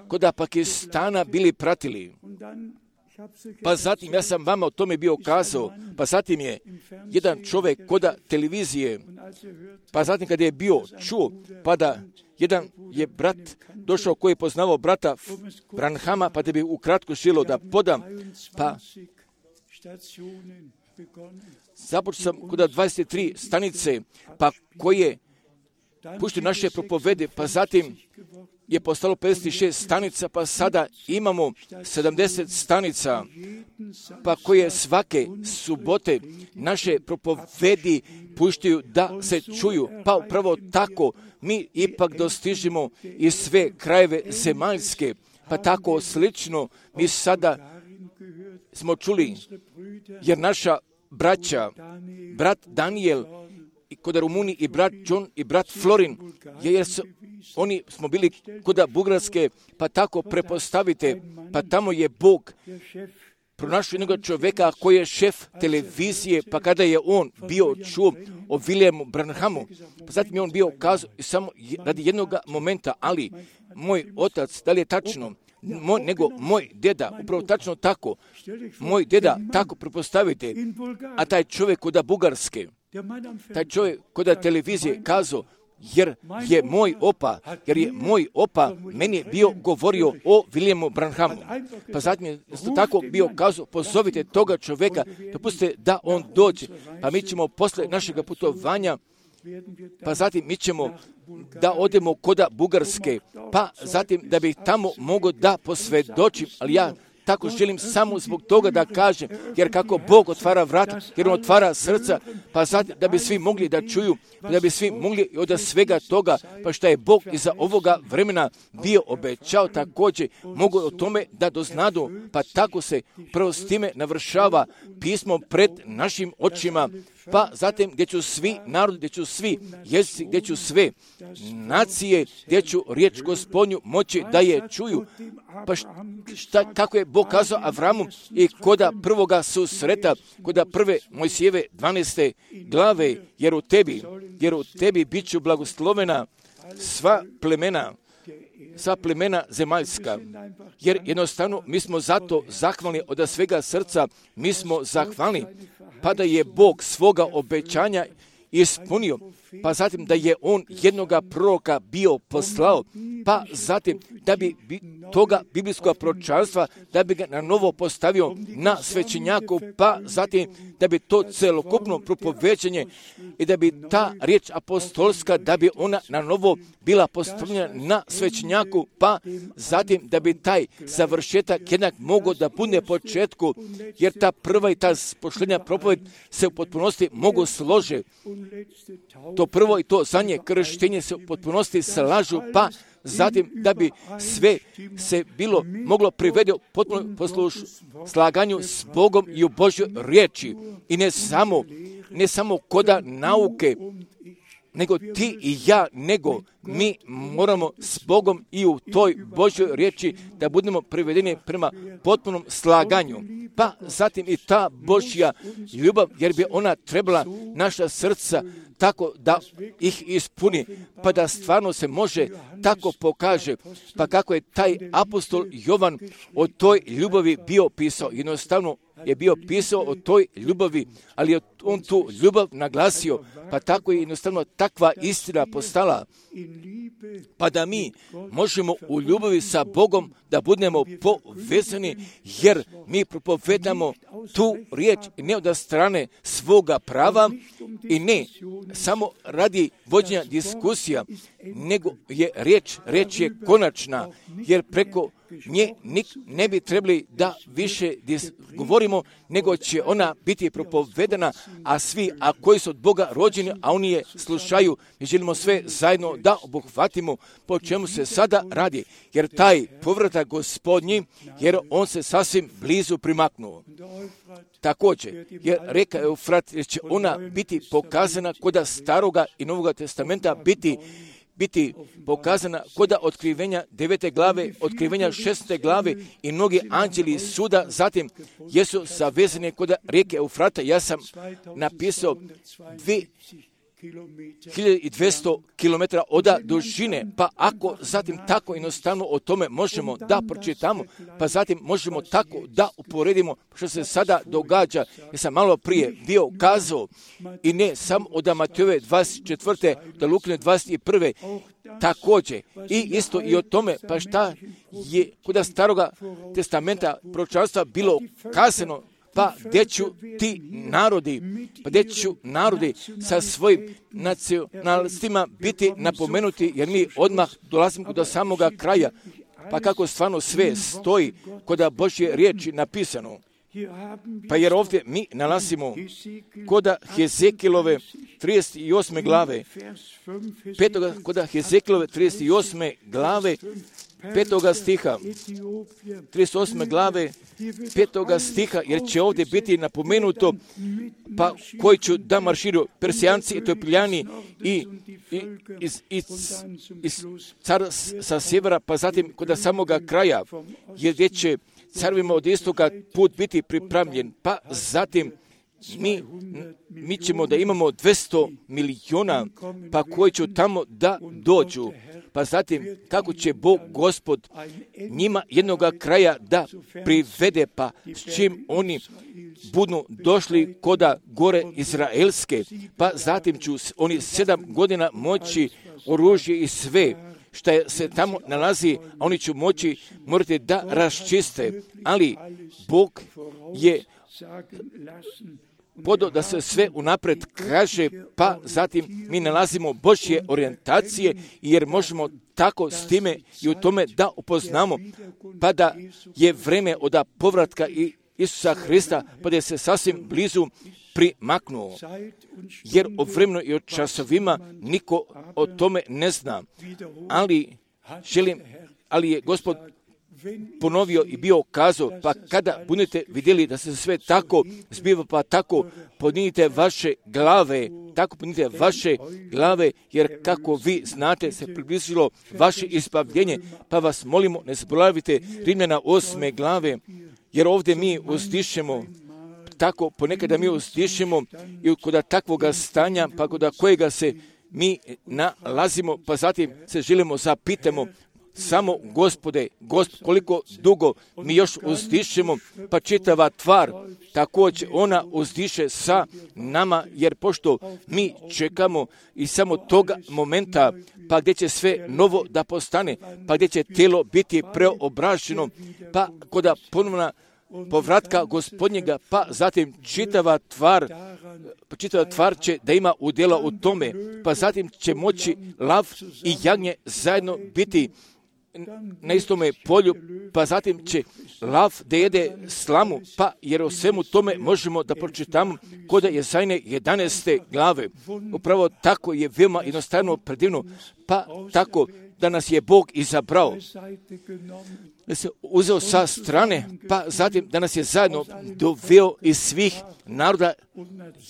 kod Pakistana bili pratili. Pa zatim, ja sam vama o tome bio kazao, pa zatim je jedan čovjek kod televizije, pa zatim kada je bio čuo, pa da jedan je brat došao koji je poznavao brata Branhama, pa da bi ukratko želio da podam, pa započeo sam kod 23 stanice, pa koje puštaju naše propovede, pa zatim je postalo 56 stanica, pa sada imamo 70 stanica, pa koje svake subote naše propovedi puštaju da se čuju, pa upravo tako mi ipak dostižemo i sve krajeve zemaljske, pa tako slično mi sada smo čuli, jer naša braća, brat Daniel kod Rumuniji i brat John i brat Florin, jer oni smo bili kod Bugarske, pa tako prepostavite, pa tamo je Bog pronašao jednog čovjeka koji je šef televizije, pa kada je on bio čuo o Williamu Branhamu, pa zatim je on bio kazao samo radi jednog momenta, ali moj otac, da li je tačno, nego moj deda, upravo tačno tako, moj deda, tako prepostavite, a taj čovjek kod Bugarske, taj čovjek kod televizije kazao, jer je moj opa meni je bio govorio o Williamu Branhamu. Pa zatim je tako bio kazao, pozovite toga čovjeka, dopustite da on dođe, pa mi ćemo posle našeg putovanja, pa zatim mi ćemo da odemo kod Bugarske, pa zatim da bih tamo mogao da posvjedočim, ali ja tako želim samo zbog toga da kažem, jer kako Bog otvara vrata, jer on otvara srca, pa zatim da bi svi mogli da čuju, da bi svi mogli od svega toga, pa što je Bog iza ovoga vremena bio obećao također, mogu o tome da doznadu, pa tako se prvo s time navršava pismo pred našim očima, pa zatim gdje ću svi narodi, gdje ću svi jezici, gdje ću sve nacije, gdje ću riječ Gospodnju moći da je čuju. Pa kako je Bog kazao Avramu i koda prvoga susreta, koda prve Mojsijeve 12. glave, jer u tebi bit ću blagoslovena sva plemena zemaljska, jer jednostavno mi smo zato zahvalni od svega srca, mi smo zahvalni, pa da je Bog svoga obećanja ispunio, pa zatim da je on jednoga proroka bio poslao, pa zatim da bi toga biblijskog proročanstva, da bi ga na novo postavio na svećenjaku, pa zatim da bi to celokupno propoveđenje i da bi ta riječ apostolska, da bi ona na novo bila postavljena na svećenjaku, pa zatim da bi taj završetak jednak mogao da bude početku, jer ta prva i ta posljednja propoved se u potpunosti mogu slože. To prvo i to zadnje krštenje se u potpunosti slažu, pa zatim da bi sve se bilo moglo privede u potpuno slaganju s Bogom i u Božjoj riječi. I ne samo koda nauke, nego ti i ja, nego mi moramo s Bogom i u toj Božjoj riječi da budemo privedeni prema potpunom slaganju. Pa zatim i ta Božja ljubav, jer bi ona trebala naša srca tako da ih ispuni, pa da stvarno se može tako pokaže, pa kako je taj apostol Jovan o toj ljubavi bio pisao. Jednostavno je bio pisao o toj ljubavi, ali je on tu ljubav naglasio, pa tako je jednostavno takva istina postala, pa da mi možemo u ljubavi sa Bogom da budemo povezani, jer mi propovedamo tu riječ ne od strane svoga prava i ne samo radi vođenja diskusija, nego je riječ je konačna, jer preko nje ne bi trebali da više govorimo, nego će ona biti propovedana, a svi, a koji su od Boga rođeni, a oni je slušaju, mi želimo sve zajedno da obuhvatimo po čemu se sada radi, jer taj povratak Gospodnji, jer on se sasvim blizu primaknuo. Također, jer reka Eufrat, jer će ona biti pokazana kod Staroga i Novoga testamenta, biti pokazana kod otkrivenja 9. glave, otkrivenja 6. glave i mnogi anđeli suda, zatim jesu savezani kod rijeke Eufrata. Ja sam napisao 2200 km od dužine, pa ako zatim tako jednostavno o tome možemo da pročitamo, pa zatim možemo tako da uporedimo što se sada događa. Ja sam malo prije bio kazao i ne samo od Matejove 24. do Lukine 21. također i isto i o tome, pa šta je kod Staroga testamenta proročanstva bilo kazano, pa gdje ću ti narodi sa svojim nacionalistima biti napomenuti, jer mi odmah dolazimo do samoga kraja, pa kako stvarno sve stoji kod Božje riječi napisano. Pa jer ovdje mi nalazimo koda Hezekilove 38. glave, koda Hezekilove 38. glave, 5. stiha, 38. glave, 5. stiha, jer će ovdje biti napomenuto, pa koji ću da marširu Persijanci, Etiopiljani i car sa sjevera, pa zatim kod samoga kraja, jer gdje će carovima od istoka put biti pripremljen, pa zatim mi ćemo da imamo 200 miliona, pa koji će tamo da dođu. Pa zatim, kako će Bog Gospod njima jednoga kraja da privede, pa s čim oni budu došli koda gore Izraelske, pa zatim ću oni 7 godina moći oružje i sve što se tamo nalazi, a oni će morati da raščiste, ali Bog je podao da se sve unapred kaže, pa zatim mi nalazimo Božje orijentacije, jer možemo tako s time i u tome da upoznamo, pa da je vreme od povratka Isusa Hrista, pa da je se sasvim blizu primaknuo. Jer o vremenu i o časovima niko o tome ne zna. Ali je Gospod ponovio i bio kazao, pa kada budete vidjeli da se sve tako zbiva, pa tako podnijite vaše glave, jer kako vi znate se približilo vaše izbavljenje, pa vas molimo, ne zaboravite Rimljana 8. glave, jer ovdje mi uzdišemo, tako ponekada mi uzdišemo i kod takvoga stanja, pa kod kojega se mi nalazimo, pa zatim se želimo zapitamo, samo Gospode, koliko dugo mi još uzdišemo, pa čitava tvar, također ona uzdiše sa nama, jer pošto mi čekamo i samo toga momenta, pa gdje će sve novo da postane, pa gdje će tijelo biti preobraženo, pa kod ponovna povratka Gospodnjega, pa zatim čitava tvar će da ima udjela u tome, pa zatim će moći lav i jagnje zajedno biti na istome polju, pa zatim će lav da jede slamu, pa jer o svemu tome možemo da pročitamo kod Jezajne 11. glave. Upravo tako je veoma jednostavno predivno, pa tako da nas je Bog izabrao, da se uzeo sa strane, pa zatim da nas je zajedno doveo iz svih naroda,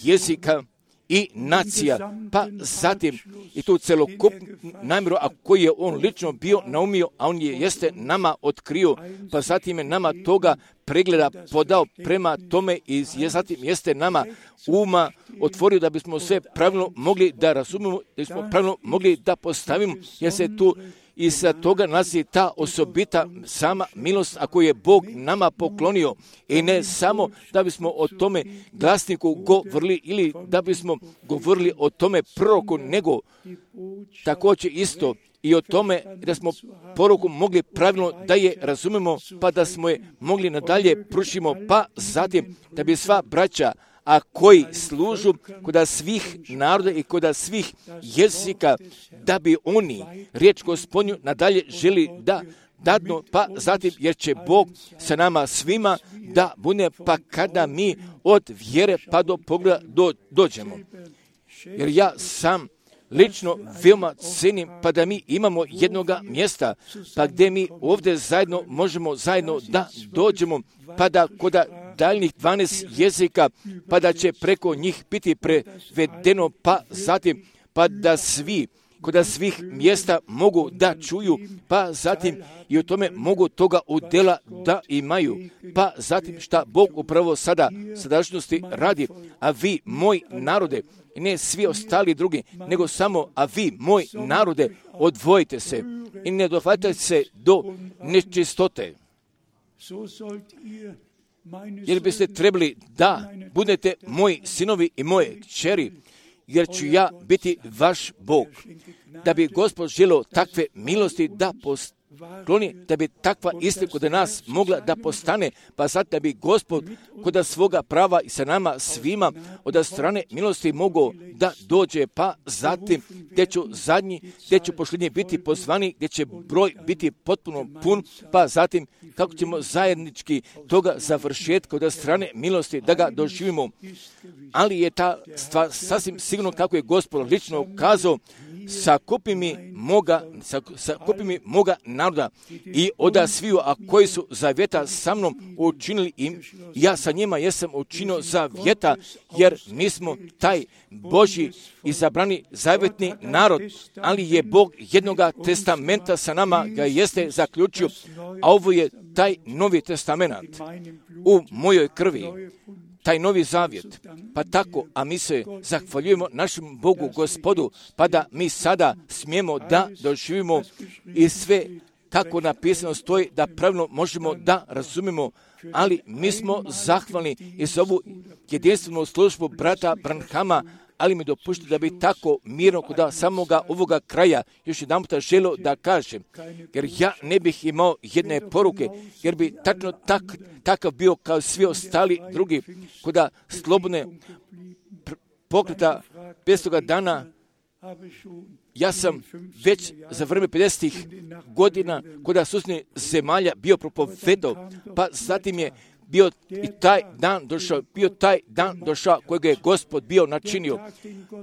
jezika i nacija, pa zatim i tu celokupnu namjeru, a koji je on lično bio naumio, a on jeste nama otkrio, pa zatim je nama toga pregleda podao prema tome i zatim jeste nama uma otvorio da bismo sve pravilno mogli da razumemo, da bismo pravilno mogli da postavimo, jer se tu i sa toga nalazi ta osobita sama milost, a koju je Bog nama poklonio. I ne samo da bismo o tome glasniku govorili ili da bismo govorili o tome proroku, nego također isto i o tome da smo poruku mogli pravilno da je razumemo, pa da smo je mogli nadalje prušimo, pa zatim da bi sva braća, a koji služu kod svih naroda i kod svih jezika, da bi oni riječ Gospodnju nadalje želi da dadnu, pa zatim jer će Bog sa nama svima da bude, pa kada mi od vjere pa do pogleda dođemo. Jer ja sam lično veoma cenim, pa da mi imamo jednoga mjesta, pa gdje mi ovdje zajedno možemo zajedno da dođemo, pa da kod daljnjih 12 jezika, pa da će preko njih biti prevedeno, pa zatim, pa da svi kod svih mjesta mogu da čuju, pa zatim i o tome mogu toga udjela da imaju, pa zatim šta Bog upravo sada sadašnjosti radi, a vi, moj narode, i ne svi ostali drugi, nego samo, a vi, moj narode, odvojite se i ne dohvatajte se do nečistote. Jer biste trebali da budete moji sinovi i moje kćeri, jer ću ja biti vaš Bog. Da bi Gospod želeo takve milosti da kloni da bi takva istina kod nas mogla da postane, pa zato da bi Gospod kod svoga prava i sa nama svima od strane milosti mogao da dođe, pa zatim gdje ću zadnji, gdje ću posljednji biti pozvani, gdje će broj biti potpuno pun, pa zatim kako ćemo zajednički toga završetka od strane milosti da ga doživimo. Ali je ta stvar sasvim sigurno kako je Gospod lično kazao, sakupi mi moga naroda i oda sviju, a koji su zavjeta sa mnom učinili im, ja sa njima jesam učinio zavjeta, jer mi smo taj Božji izabrani zavjetni narod, ali je Bog jednoga testamenta sa nama ga jeste zaključio, a ovo je taj novi testament u mojoj krvi. Taj novi zavjet. Pa tako, a mi se zahvaljujemo našem Bogu, Gospodu, pa da mi sada smijemo da doživimo i sve kako napisano stoji, da pravilno možemo da razumimo, ali mi smo zahvalni i za ovu jedinstvenu službu brata Branhama, ali mi dopušta da bi tako mirno kod samoga ovoga kraja još jedan puta želio da kažem, jer ja ne bih imao jedne poruke, jer bi tačno takav bio kao svi ostali drugi, kod slobodne pokreta 500 dana. Ja sam već za vreme 50. godina kod susjednih zemalja bio propovedao, pa zatim je bio taj dan došao kojeg je Gospod bio načinio.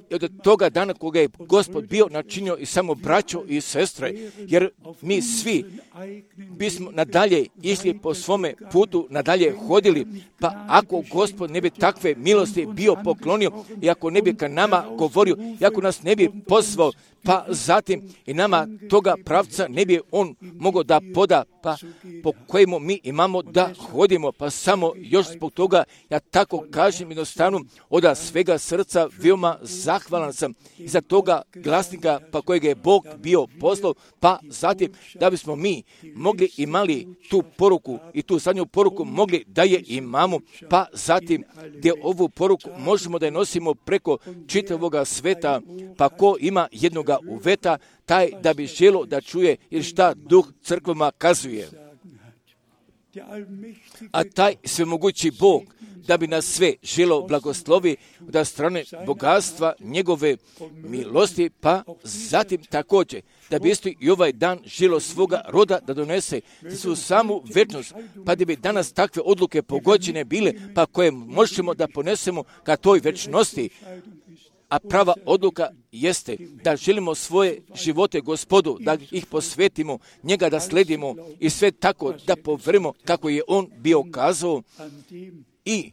I od toga dana kojeg je Gospod bio načinio i samo braćo i sestre, jer mi svi bismo nadalje išli po svome putu, nadalje hodili, pa ako Gospod ne bi takve milosti bio poklonio i ako ne bi ka nama govorio, i ako nas ne bi pozvao, pa zatim i nama toga pravca ne bi on mogao da poda, pa po kojemu mi imamo da hodimo, pa samo još zbog toga ja tako kažem jednostavno od svega srca veoma zahvalan sam za toga glasnika pa kojeg je Bog bio poslao, pa zatim da bismo mi mogli imali tu poruku i tu zadnju poruku mogli da je imamo, pa zatim gdje ovu poruku možemo da je nosimo preko čitavoga sveta, pa ko ima jednoga uveta, taj da bi želo da čuje ili šta duh crkvama kazuje. A taj svemogući Bog da bi nas sve želo blagoslovi da strane bogatstva njegove milosti, pa zatim također da bi isto i ovaj dan želo svoga roda da donese za svu samu večnost, pa da bi danas takve odluke pogođene bile, pa koje možemo da ponesemo ka toj večnosti. A prava odluka jeste da želimo svoje živote Gospodu, da ih posvetimo, njega da sledimo i sve tako da poverimo kako je on bio kazao i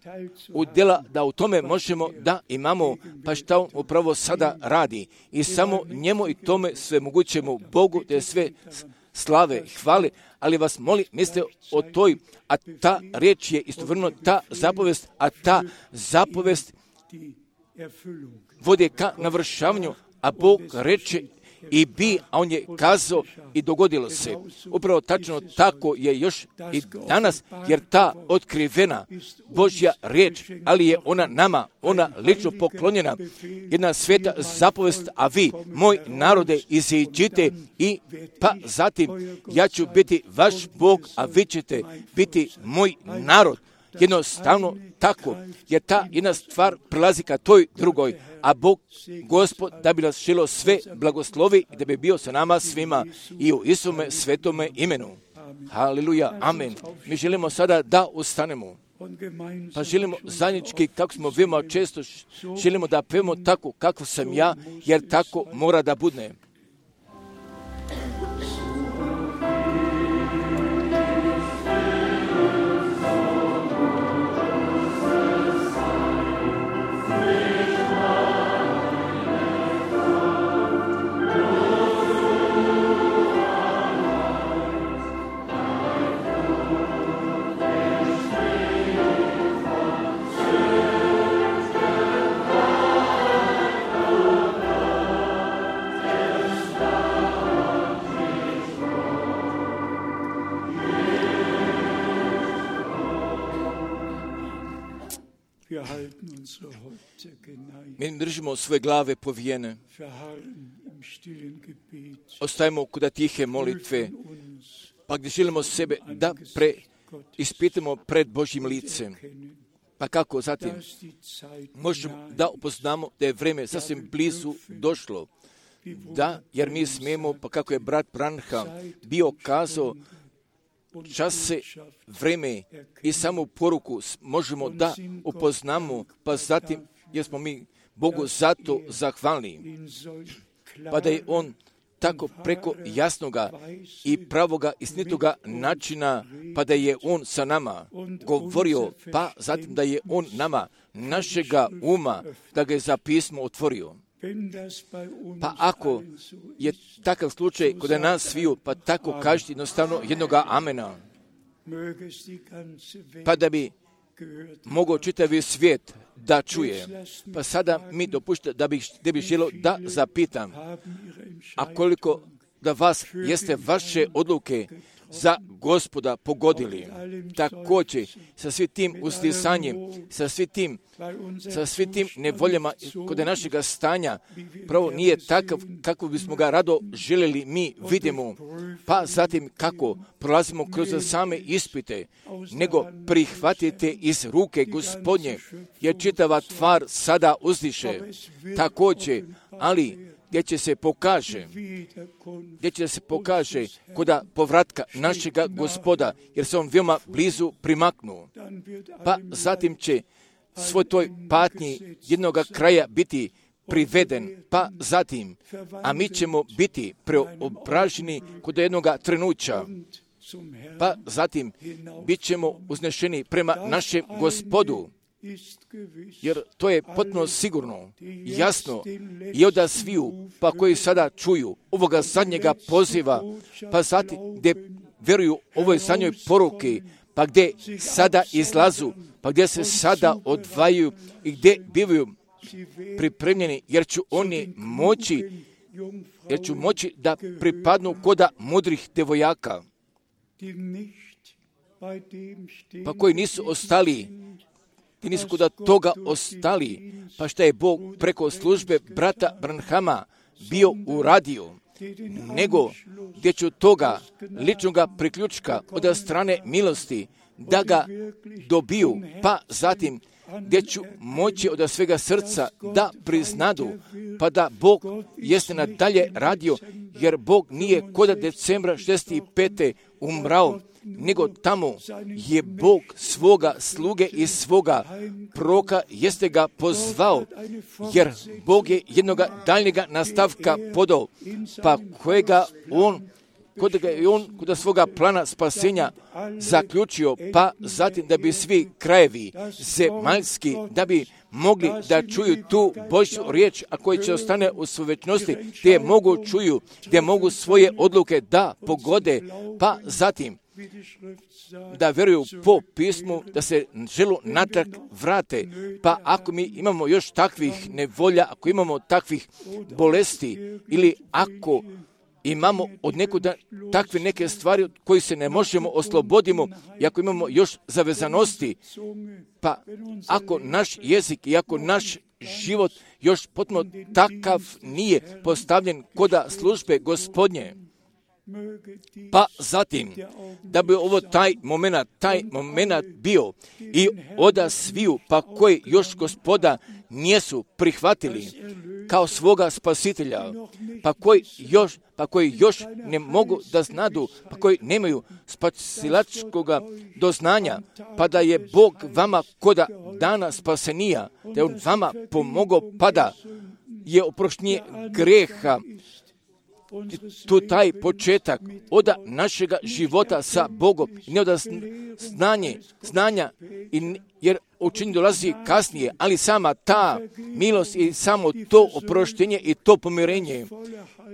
udjela da u tome možemo da imamo, pa šta on upravo sada radi. I samo njemu i tome sve mogućemo Bogu da je sve slave i hvale, ali vas molim, mislite o toj, a ta riječ je istovremeno ta zapovest, a ta zapovest vode ka navršavanju, a Bog reče i bi, a on je kazao i dogodilo se. Upravo tačno tako je još i danas, jer ta otkrivena Božja riječ, ali je ona nama, ona lično poklonjena, jedna sveta zapovest, a vi, moj narode, iziđite i pa zatim ja ću biti vaš Bog, a vi ćete biti moj narod. Jednostavno tako, jer ta jedna stvar prelazi ka toj drugoj, a Bog, Gospod, da bi nas želio sve blagoslovi i da bi bio sa nama svima i u Isuse svetome imenu. Haleluja, amen. Mi želimo sada da ustanemo, pa želimo zajednički, kako smo veoma često, želimo da pevamo tako kako sam ja, jer tako mora da bude. Mi držimo svoje glave povijene, ostajemo kod tihe molitve pa gdje želimo sebe da ispitamo pred Božjim licem. Pa kako zatim možemo da upoznamo da je vrijeme sasvim blizu došlo. Da, jer mi smijemo, pa kako je brat Branham bio kazao, čas se, vrijeme i samu poruku možemo da upoznamo, pa zatim, jer smo mi Bogu zato zahvalni, pa da je On tako preko jasnoga i pravoga istinitoga načina, pa da je On sa nama govorio, pa zatim da je On nama, našega uma, da ga je za pismo otvorio. Pa ako je takav slučaj kod nas sviju, pa tako kažete jednostavno jednoga amena, pa da bi mogao čitavi svijet da čuje. Pa sada mi dopušta da bi želio da zapitam, a koliko da vas jeste vaše odluke za Gospoda pogodili, također sa svim tim uslisanjem, sa svim tim nevoljama kod našega stanja, pravo nije takav kako bismo ga rado željeli mi vidimo, pa zatim kako prolazimo kroz same ispite, nego prihvatite iz ruke Gospodnje, jer čitava tvar sada uzdiše, također, ali gdje će se pokaže koda povratka našega Gospoda, jer se on veoma blizu primaknuo. Pa zatim će svoj toj patnji jednoga kraja biti priveden, pa zatim, a mi ćemo biti preobraženi kod jednoga trenuća, pa zatim bit ćemo uznešeni prema našem Gospodu, jer to je potpuno sigurno, jasno, i od sviju, pa koji sada čuju ovoga zadnjega poziva, pa zatim gdje vjeruju ovoj zadnjoj poruki, pa gdje sada izlazu, pa gdje se sada odvajaju i gdje bivaju pripremljeni, jer ću moći da pripadnu koda mudrih devojaka, pa koji nisu ostali, ti nisu koda toga ostali, pa šta je Bog preko službe brata Branhama bio uradio, nego gdje ću toga ličnoga priključka od strane milosti da ga dobiju, pa zatim gdje ću moći od svega srca da priznadu, pa da Bog jeste nadalje radio, jer Bog nije koda decembra 65. umrao, nego tamo je Bog svoga sluge i svoga proka jeste ga pozvao, jer Bog je jednoga daljnjega nastavka podao, pa kojega on kod svoga plana spasenja zaključio, pa zatim da bi svi krajevi zemaljski, da bi mogli da čuju tu Božju riječ, a koji će ostane u svojoj večnosti, gdje mogu čuju, gdje mogu svoje odluke da pogode, pa zatim da vjeruju po pismu, da se želu natrag vrate. Pa ako mi imamo još takvih nevolja, ako imamo takvih bolesti, ili ako imamo od nekuda takve neke stvari od kojih se ne možemo oslobodimo, i ako imamo još zavezanosti, pa ako naš jezik i ako naš život još potpuno takav nije postavljen koda službe Gospodnje, pa zatim, da bi ovo taj moment bio i oda sviju, pa koji još Gospoda nijesu prihvatili kao svoga spasitelja, pa koji još ne mogu da znadu, pa koji nemaju spasilačkoga doznanja, pa da je Bog vama koda dana spasenija, da je On vama pomogao, pa da je oproštenje greha, tu taj početak od našega života sa Bogom, ne od znanja, jer učenje dolazi kasnije, ali sama ta milost i samo to oproštenje i to pomirenje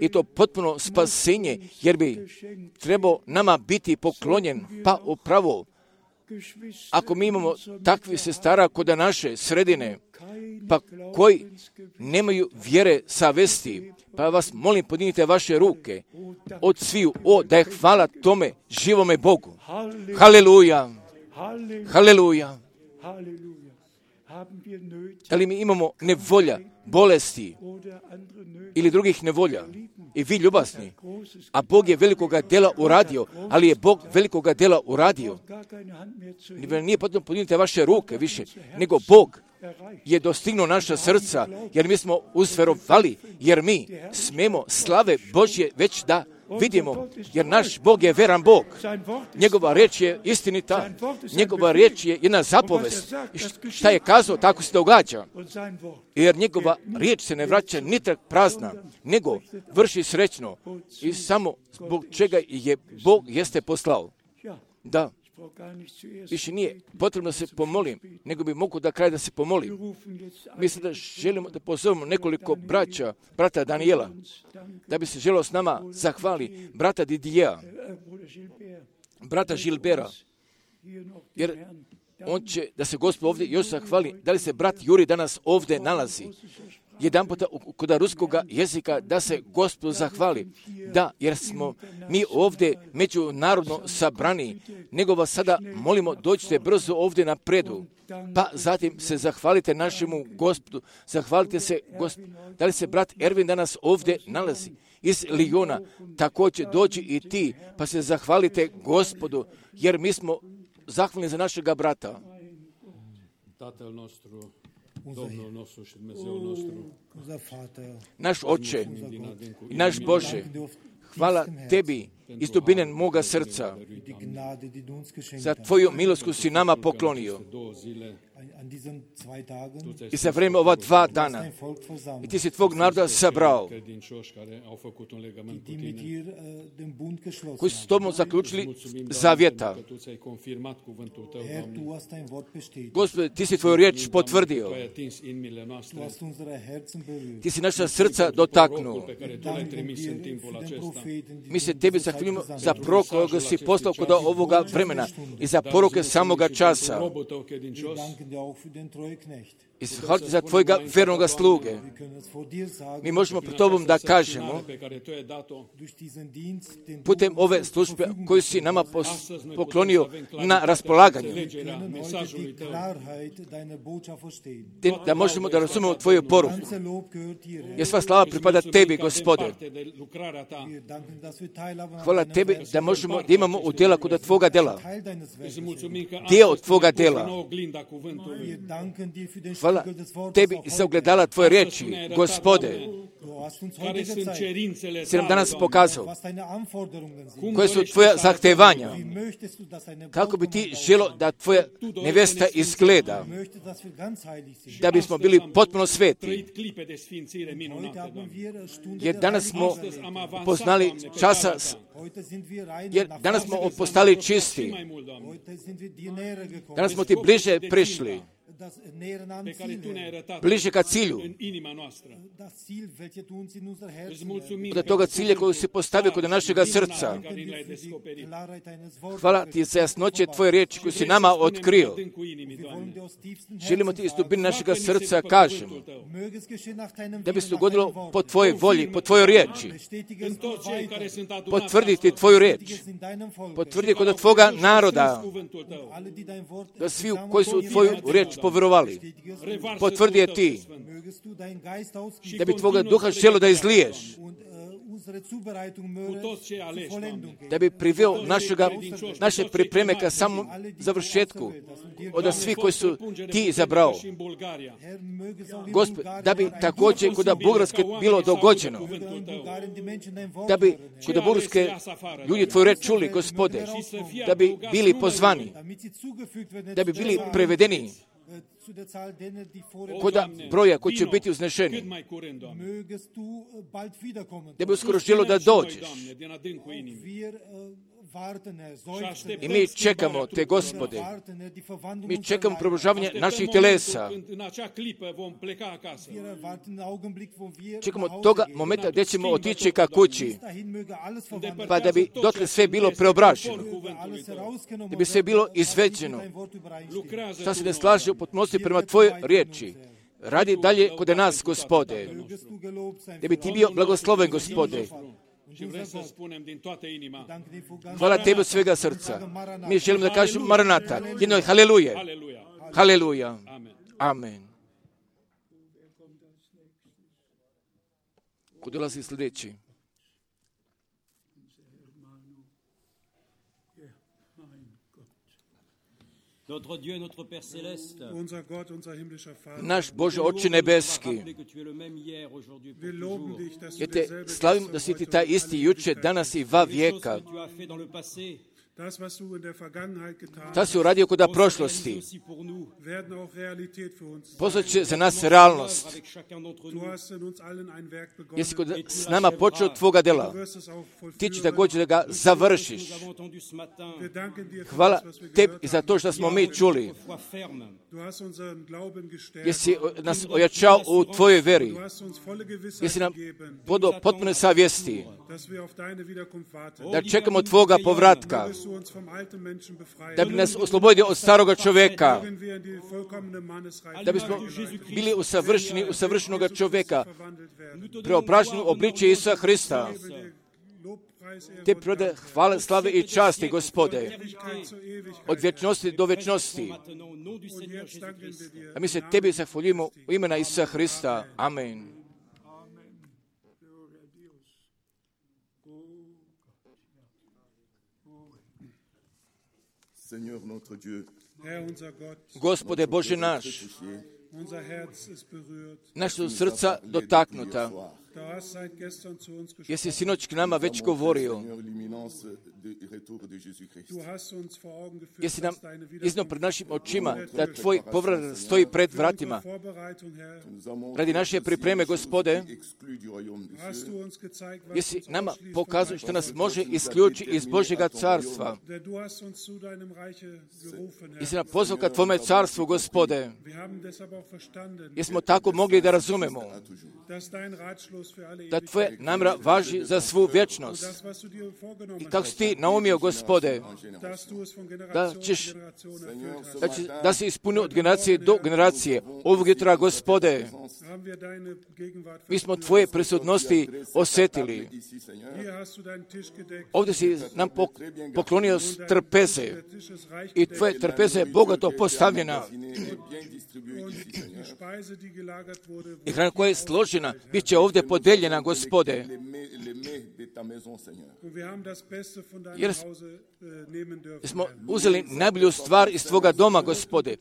i to potpuno spasenje, jer bi trebao nama biti poklonjen, pa upravo ako mi imamo takvi sestara kod naše sredine, pa koji nemaju vjere savesti, pa vas molim, podignite vaše ruke od sviju, da je hvala tome živome Bogu. Haleluja! Haleluja! Da li mi imamo nevolja, bolesti ili drugih nevolja? i vi ljubazni. A Bog je velikoga dela uradio, ali je Bog velikoga dela uradio. Nije potrebno podignuti vaše ruke više, nego Bog je dostignuo naša srca, jer mi smo uzverovali, jer mi smemo slave Božje već da vidimo, jer naš Bog je veran Bog. Njegova riječ je istinita, njegova riječ je jedna zapovest. Šta je kazao, tako se događa. Jer njegova riječ se ne vraća nitrag prazna, nego vrši srećno i samo zbog čega je Bog jeste poslao. Da. Više nije potrebno da se pomolim, nego bi mogu da kraj da se pomolim. Mislim da želimo da pozovemo nekoliko brata Daniela, da bi se želeo s nama zahvali brata Didija, brata Žilbera, jer on će da se Gospod ovdje još zahvali. Da li se brat Juri danas ovdje nalazi? Jedan puta kod ruskoga jezika da se Gospodu zahvali. Da, jer smo mi ovdje međunarodno sabrani, nego vas sada molimo dođite brzo ovdje na predu, pa zatim se zahvalite našemu Gospodu, zahvalite se Gospodu. Da li se brat Ervin danas ovdje nalazi? Iz Lijona, također dođi i ti, pa se zahvalite Gospodu, jer mi smo zahvalni za našega brata. Naš Oče i naš Bože, hvala tebi iz dubine moga srca za tvoju milost koju si nama poklonio i za vrijeme ova 2 dana. I ti si tvog naroda sabrao, koji su s tobom zaključili zavjeta. Gospode, ti si tvoju riječ potvrdio. Ti si naša srca dotaknuo. Mi se tebi zahvaljujemo za prorok koga si poslao kod ovoga vremena i za poruke samoga časa. I hvala za tvojega vernoga sluge. Mi možemo pred tobom da kažemo, putem ove službe koju si nama poklonio na raspolaganje, da možemo da razumemo tvoju poruku. Jer sva slava pripada tebi, Gospode. Hvala tebi da možemo da imamo udjela kod tvoga dela. Dio od tvoga dela. Hvala tebi za ogledala tvoje riječi, Gospode. Si nam danas pokazao koje su tvoja zahtevanja. Kako bi ti želo da tvoja nevesta izgleda, da bismo bili potpuno sveti. Jer danas smo poznali časa, jer danas smo postali čisti. Danas smo ti bliže prišli. Bliže ka cilju. Od toga cilja koju si postavio kod našega srca. Hvala ti za jasnoće tvoje riječi koju si nama otkrio. Želimo ti iz dubine našega srca kažemo da bi se dogodilo po tvojoj volji, po tvojoj riječi. Potvrditi tvoju riječ. Potvrdi kod tvoga naroda da svi koji su tvoju riječ povjerovali. Potvrdi je ti da bi tvoga duha želo da izliješ, da bi priveo naše pripreme ka samom završetku od svih koji su ti izabrao. Gospod, da bi također kod Bugarske bilo dogođeno, da bi kod Bugarske ljudi tvoju reč čuli, Gospode, da bi bili pozvani, da bi bili prevedeni kod broja koji će biti uznešeni, da bi uskoro želo da dođeš. I mi čekamo te, Gospode. Mi čekamo probužavanje naših telesa. Čekamo toga momenta gdje ćemo otići ka kući, pa da bi dotle sve bilo preobraženo, da bi sve bilo izveđeno. Šta se ne slaže u potpunosti prema tvojoj riječi. Radi dalje kod nas, Gospode. Da bi ti bio blagosloven, Gospode. Hvala tebi od svega srca. Mi želimo da kažemo Maranata. Jedno je haleluje. Haleluja. Amen. Ko dolazi sljedeći? Notre Dieu, notre Père céleste, Unser Gott, unser himmlischer Vater, Naš Bože Oče nebeski, rappelez que tu es le même hier, aujourd'hui, pour wir loben toujours. dich, dass du ja te derselbe slavim bist da si ti heute taj und alle isti juče, Ewigkeit. danas i va Les choses vijeka. que tu as fait dans le passé, Das, was du in der Vergangenheit getan Ta hast, si uradio kod vont se réaliser prošlosti. aussi pour nous. werden auch Realität für uns sein. Postat će za nas Commence realnost. l'œuvre avec chacun d'entre Du nous. hast in uns allen ein Werk Jesi begonnen. kod s nama počeo tvoga Du dela. wirst es auch Ti će vollführen. također da ga završiš. Nous avons entendu ce matin, Wir danken dir für Hvala das, was wir tebi gehört i za haben. to što smo mi čuli. foi ferme. Du hast unseren Glauben gestärkt. Jesi nas ojačao u tvojoj veri. Du hast uns volle Gewissheit Jesi nam gegeben, podao potpune savjesti dass wir auf deine Wiederkunft warten. da čekamo tvoga povratka, Mögest du uns vom alten Menschen befreien. da bi nas oslobodio od staroga čovjeka, Mögen wir in die vollkommene Mannesreife da bismo bili usavršeni u savršenog čovjeka, verwandelt werden. preobraženi u obličje Isusa Hrista. Gebe dir Lobpreis, Ehre Te und prode hvale, slave i časti, Gospode, Ewigkeit zu Ewigkeit. od vječnosti do vječnosti. Maintenant, au nom du Und Seigneur jetzt danken Jésus-Christ. wir dir. A mi se tebi zahvaljujemo u imena Isusa Hrista. Amen. Seigneur notre Dieu, Herr, unser Gott, Gospode Bože naš, unser Herz ist berührt. naša su srca dotaknuta. Du hast seit gestern zu uns gesprochen. Jesi sinoć k nama već govorio. Seigneur, l'imminence du retour de Jésus-Christ. Du hast uns vor Augen geführt, Jesi nam dass deine iznio pred Wiederkunft našim očima da tvoj povrat stoji pred vratima. Vorbereitung, Herr, Nous avons Radi naše pripreme, Gospode, exclu du royaume des hast cieux. du uns gezeigt, was jesi uns nama ausschließt pokazao vom što Reich nas Gottes. može isključiti iz Božjega carstva. Denn du hast uns zu deinem Reiche gerufen, Jesi Herr. nam pozvao ka tvome carstvu, Gospode. Wir haben deshalb auch verstanden, Jesmo tako mogli da razumemo dass dein Ratschluss für alle da Ewigkeit tvoje namjera važi za svu vječnost. das, was du dir vorgenommen I kako hast, si ti naumio, Gospode, dass du es von da Generation ćeš zu Generation erfüllt hast. da se ispunio od generacije do generacije. Ovog jutra, Gospode, Haben wir deine Gegenwart mi smo verspürt. tvoje prisutnosti osjetili. Ici, Seigneur, Hier hast du deinen Tisch gedeckt. Ovdje si nam poklonio trpeze Der Tisch ist reich i gedeckt. tvoje trpeze je bogato postavljena. est bien distribué Und ici, die Seigneur. Speise, die gelagert wurde, I hrana koja je složena, bit će ovdje podeljena, Gospode. Les mets de ta maison, Seigneur. und wir haben das Beste von deinem Jer Hause nehmen dürfen. Smo uzeli najbolju stvar iz tvoga doma, Gospode.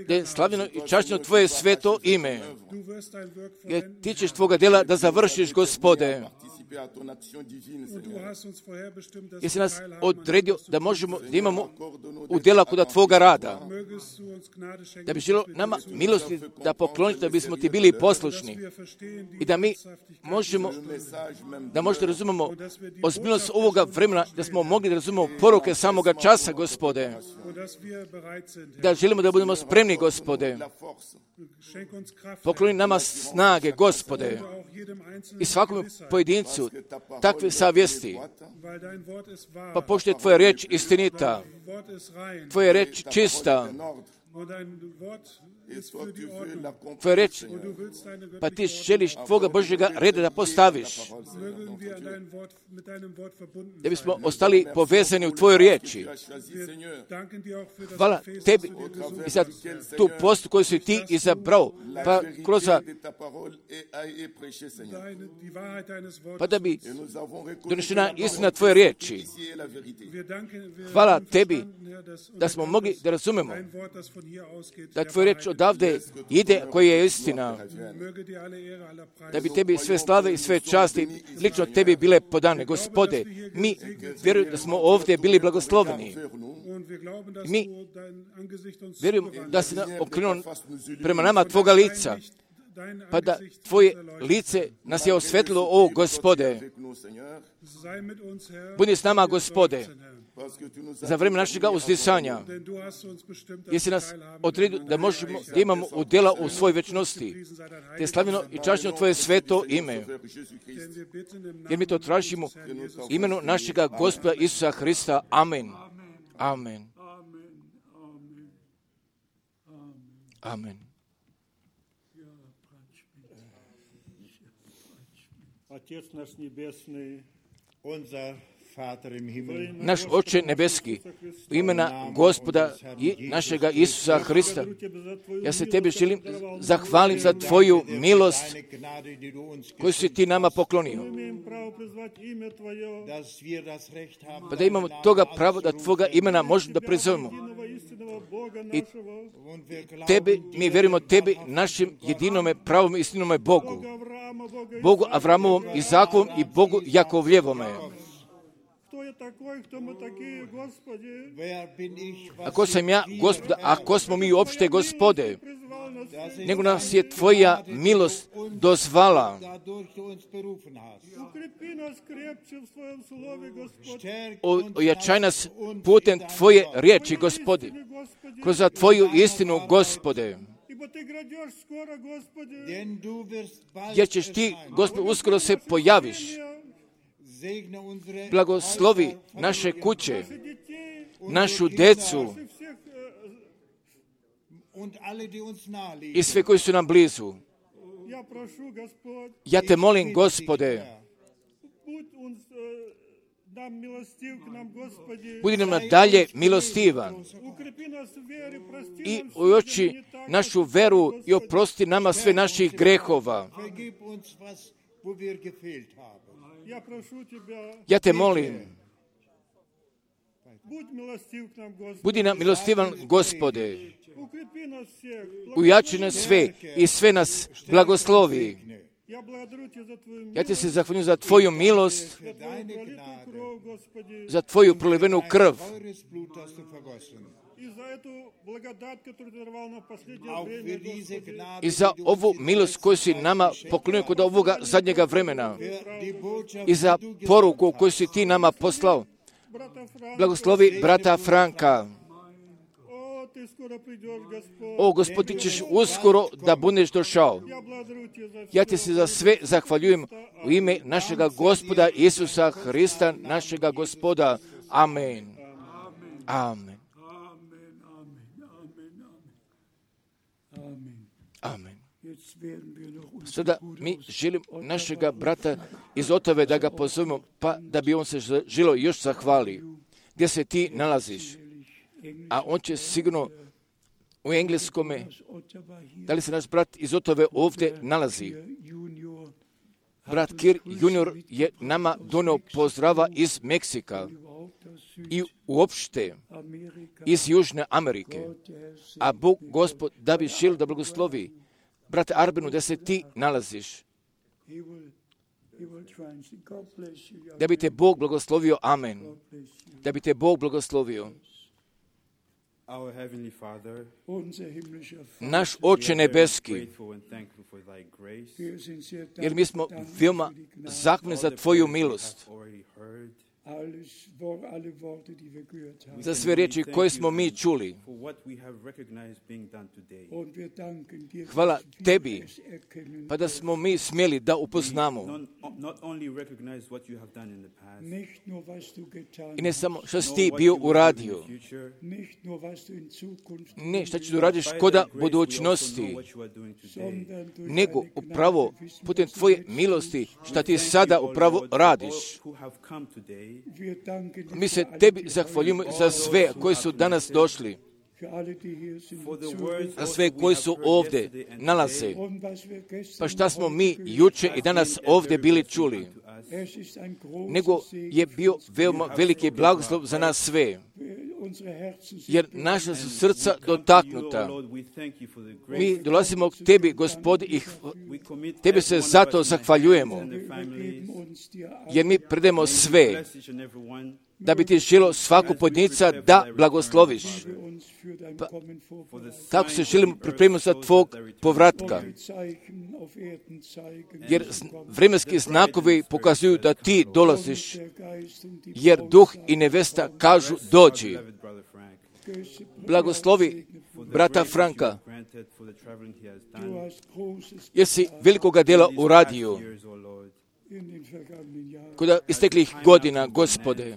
Da je slavljeno i čašćeno tvoje sveto ime. Du wirst dein Werk Jer vollenden, ti ćeš tvoga djela da završiš, Gospode. Participer à ton action divine, und du Seigneur. hast uns vorherbestimmt, dass Jesi wir nas teilhaben an odredio dem, da was du možemo, da imamo Accorde-nous u djela kuda tvoga rada. mögest du uns Gnade schenken, Da bi želo dass wir nama dir zu- milosti da pokloniti da bismo ti bili dass poslušni. wir verstehen die I da mi Ernsthaftigkeit možemo, le message même da možda razumemo ozbiljnost ovoga vremena, da smo mogli da razumemo poruke samoga časa, Gospode. und dass wir bereit sind. Herr. Da želimo da budemo spremni, Gospode. la force. Schenk uns Kraft, Pokloni nama snage, Gospode. Herr, auch jedem Einzelnen I svakom Gewissheit, pojedincu takve savjesti. weil dein Wort ist wahr, Pa pošto je tvoja riječ istinita, dein Wort ist rein tvoja riječ čista, En ordre. und dein Wort Et ist toi, für tu die veux Ordnung. l'accomplir, tvoja riječ, Und du willst deine pa ti göttliche želiš tvoga Božjega reda da postaviš. Mögen wir an dein Wort, mit deinem Wort verbunden Da sein. bismo ostali povezani u tvojoj riječi. Tu as choisi, Seigneur, Danken dir auch für das Hvala Gefäß, tebi das du dir gesucht i za tu postu koju si ti izabrao. Pa kroz de ta parole est prêchée, Seigneur. die Wahrheit deines Wortes. pa da bi Et nous avons reconnu donešena istina tvoje riječi. ici est la vérité. Wir danken, wir Hvala haben tebi verstanden, Herr, dass da smo mogli da razumemo dein Wort, das von hier ausgeht, da der tvoja riječ Wahrheit odavde ide koja je istina. ist. Möge dir alle Ehre, aller Preis. Da bi tebi sve slave i sve časti lično tebi bile podane. Gospode, mi vjerujemo da smo ovdje bili blagosloveni. Und wir glauben, dass Mi du dein Angesicht uns vjerujemo zugewandt da hast. si okrenuo prema nama tvoga lica, Dein pa da Angesicht tvoje uns erleuchtet. lice nas je osvetlilo, o Gospode. Avec nous, Seigneur, Sei mit uns, Herr, Budi s nama, Gospode, Herr. parce que tu nous as za vrijeme našega uzdisanja. Denn du hast uns bestimmt, dass Jesi wir nas teilhaben odredio da možemo da imamo udjela u svoj večnosti. Priesen sei dein Te Heilig, slavljeno i čašćeno tvoje sveto ime. Frère Jésus-Christ. denn wir bitten im Jer mi to Namen tražimo unseres Herrn Jesus u imenu našega Gospoda Isusa Hrista. Amen. Amen. Amen. Отец наш Небесный, Unser Naš Oče nebeski, u imena Gospoda i našega Isusa Hrista, ja se Tebi želim zahvalim za Tvoju milost koju si Ti nama poklonio. Pa da imamo toga pravo da Tvoga imena možemo da prizovemo. I Tebi, mi vjerujemo Tebi, našim jedinome, pravom istinome Bogu. Bogu Avramovom, Izakovom i Bogu Jakovljevome. Ako sam ja, Gospoda, ako smo mi uopšte, Gospode, nego nas je Tvoja milost dozvala. Ojačaj nas putem Tvoje riječi, Gospode, kroz Tvoju istinu, Gospode. Jer ćeš Ti, Gospode, uskoro se pojaviš. Blagoslovi naše kuće, našu decu i sve koji su nam blizu. Ja Te molim, Gospode, budi nam nadalje milostivan i ojači našu veru i oprosti nama sve naših grehova. Ja Te molim, budi nam milostivan, Gospode, ujači nas sve i sve nas blagoslovi. Ja Ti se zahvaljujem za Tvoju milost, za Tvoju prolivenu krv i za ovu milost koju si nama poklonio kod ovoga zadnjega vremena i za poruku koju si Ti nama poslao. Blagoslovi brata Franka. O, Gospod, Ti ćeš uskoro da budeš došao. Ja Ti se za sve zahvaljujem u ime našega Gospoda Isusa Hrista, našega Gospoda. Amen. Amen. Amen. Sada mi želimo našega brata iz Otave da ga pozovemo, pa da bi on se želio još zahvali. Gdje se ti nalaziš? A on će sigurno u engleskome, da li se naš brat iz Otave ovdje nalazi? Brat Kir junior je nama donio pozdrava iz Meksika i uopšte iz Južne Amerike. A Bog, Gospod, da bi želio da blagoslovi brate Arbenu, da se ti nalaziš. Da bi te Bog blagoslovio. Amen. Da bi te Bog blagoslovio. Naš Oče nebeski, jer mi smo veoma zahvalni za Tvoju milost, za sve riječi koje smo mi čuli. Hvala Tebi, pa da smo mi smjeli da upoznamo. I ne samo što si Ti bio uradio, ne što ćeš uradiš koda budućnosti, nego upravo putem Tvoje milosti što Ti sada upravo radiš. Mi se Tebi zahvaljujemo za sve koji su danas došli, za sve koji su ovdje nalaze. Pa šta smo mi juče i danas ovdje bili čuli, nego je bio veoma veliki blagoslov za nas sve, jer naša su srca dotaknuta. Mi dolazimo k Tebi, Gospodi, i Tebi se zato zahvaljujemo, jer mi predemo sve, da bi Ti želio svaku pojedinca da blagosloviš. Pa, tako se želimo pripremiti za Tvog povratka, jer vremenski znakovi pokazuju da Ti dolaziš, jer duh i nevesta kažu dođi. Blagoslovi brata Franka, jer si velikoga dela uradio kod isteklih godina, Gospode,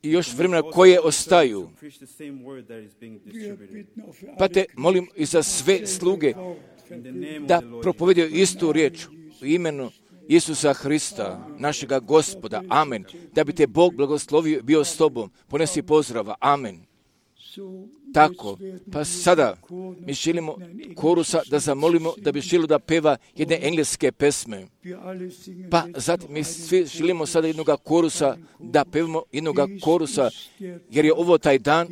i još vremena koje ostaju. Pa Te molim i za sve sluge da propovedaju istu riječ u imenu Isusa Hrista, našega Gospoda. Amen. Da bi te Bog blagoslovio, bio s tobom. Ponesi pozdrava. Amen. Tako, pa sada mi želimo korusa da zamolimo da bi želio da peva jedne engleske pesme. Pa zatim mi svi želimo sada jednoga korusa da pevamo jednoga korusa, jer je ovo taj dan,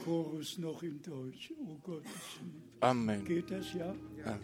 Chorus noch in Deutsch. Oh Gott. Amen. Geht das, ja? Ja.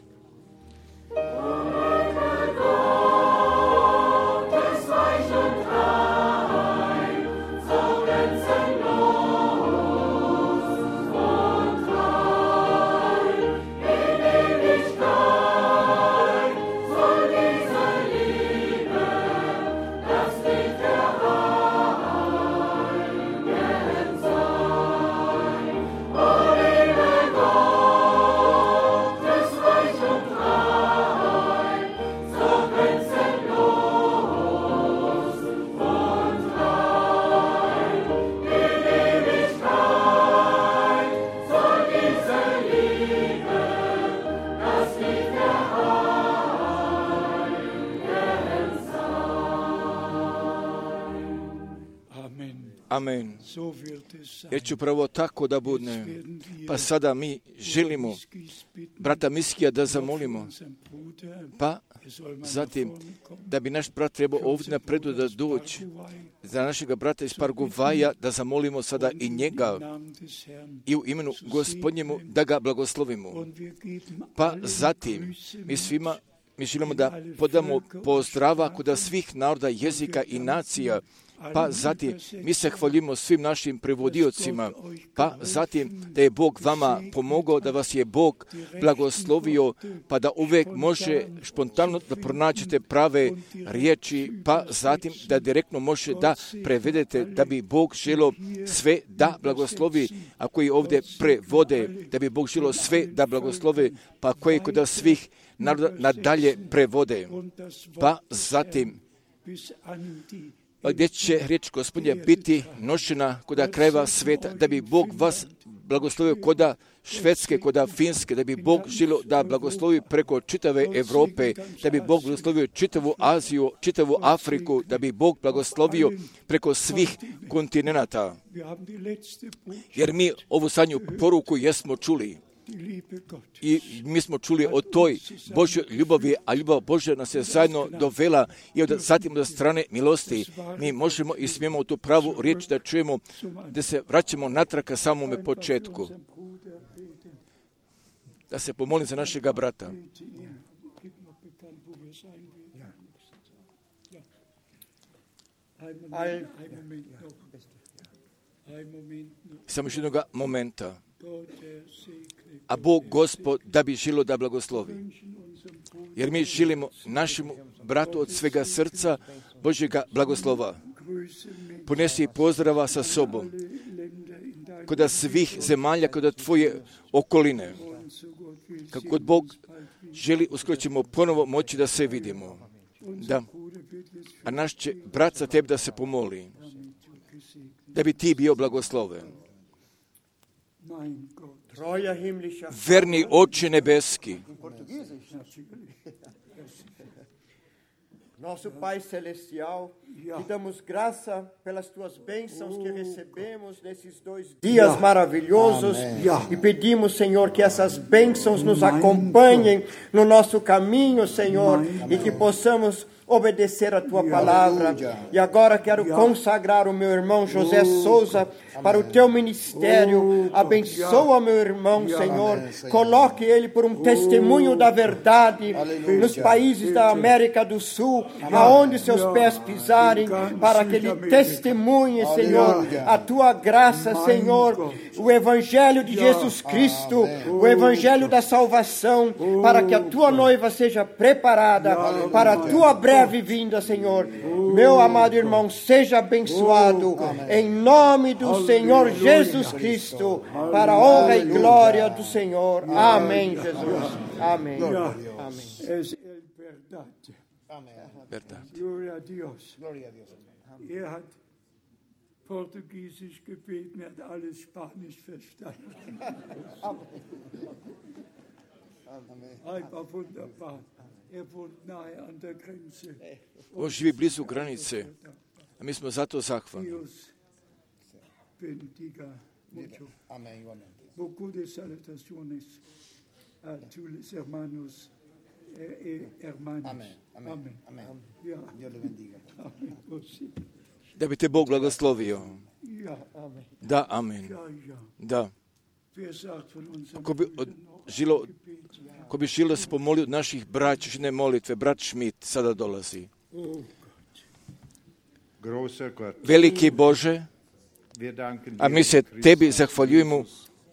Amen. Jer će upravo tako da bude. Pa sada mi želimo brata Miskija da zamolimo. Pa zatim da bi naš brat trebao ovdje napredu da doći za našega brata iz Paraguaja, da zamolimo sada i njega i u imenu Gospodnjemu da ga blagoslovimo. Pa zatim mi želimo da podamo pozdrava kod svih naroda, jezika i nacija. Pa zatim mi se hvalimo svim našim prevodiocima, pa zatim da je Bog vama pomogao, da vas je Bog blagoslovio, pa da uvijek može spontano da pronađete prave riječi, pa zatim da direktno može da prevedete, da bi Bog želio sve da blagoslovi, a koji ovdje prevode, da bi Bog želio sve da blagoslovi, pa koji kod svih naroda nadalje prevode. Pa zatim gdje će riječ Gospodnja biti nošena kod krajeva svijeta, da bi Bog vas blagoslovio kod Švedske, kod Finske, da bi Bog želio da blagoslovi preko čitave Europe, da bi Bog blagoslovio čitavu Aziju, čitavu Afriku, da bi Bog blagoslovio preko svih kontinenata. Jer mi ovu zadnju poruku jesmo čuli. I mi smo čuli o toj Božjoj ljubavi, a ljubav Božja nas je zajedno dovela i zatim od strane milosti mi možemo i smijemo tu pravu riječ da čujemo, da se vraćamo natrag ka samome početku. Da se pomolim za našega brata. Samo još jednoga momenta. A Bog Gospod da bi želio da blagoslovi. Jer mi želimo našemu bratu od svega srca Božjega blagoslova. Ponesi pozdrava sa sobom kod svih zemalja, kod tvoje okoline. Kako god Bog želi, uskoro ćemo ponovo moći da se vidimo. Da. A naš će brat za tebe da se pomoli. Da bi ti bio blagosloven. Verni Oče nebeski, Nosso Pai Celestial, te damos graça pelas tuas bênçãos que recebemos nesses 2 dias maravilhosos e pedimos, Senhor, que essas bênçãos nos acompanhem no nosso caminho, Senhor, e que possamos obedecer a tua palavra. E agora quero consagrar o meu irmão José Souza para o teu ministério. Abençoa meu irmão, Senhor. Coloque ele por um testemunho da verdade nos países da América do Sul, aonde seus pés pisarem, para que ele testemunhe, Senhor, a tua graça, Senhor, o evangelho de Jesus Cristo, o evangelho da salvação, para que a tua noiva seja preparada para a tua breve vinda, Senhor. Meu amado irmão, seja abençoado em nome do Senhor Jesus Cristo, para a honra e glória do Senhor. Amém, Jesus. Amém. Es verdade. Gloria a Dios. Hat Portugiesisch gebeten, hat alles Spanisch verstanden. Einfach wunderbar. Wohnt nahe an der Grenze. On živi blizu granice, a mi smo zato zahvalni. Beaucoup de salutaciones a tous les hermanos et hermanas. Amen. Da bi te Bog blagoslovio. Da, amen. Da. Ko bi želio se pomolio od naših braćine molitve, brat Schmidt sada dolazi. Veliki Bože, a mi se Tebi zahvaljujemo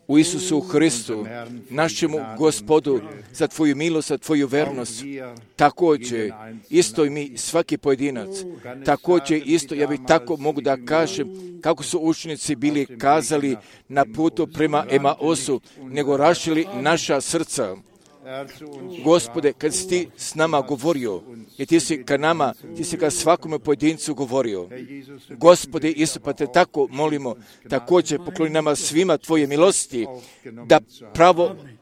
u Isusu Hristu, našemu Gospodu, za Tvoju milost, za Tvoju vernost. Također, isto i mi, svaki pojedinac, također isto, ja bih tako mogu da kažem, kako su učenici bili kazali na putu prema Emaosu, nego rašili naša srca. Gospode, kad si Ti s nama govorio, i Ti si ka nama, Ti si ka svakome pojedincu govorio. Gospode, isto pa Te tako molimo, također pokloni nama svima Tvoje milosti, da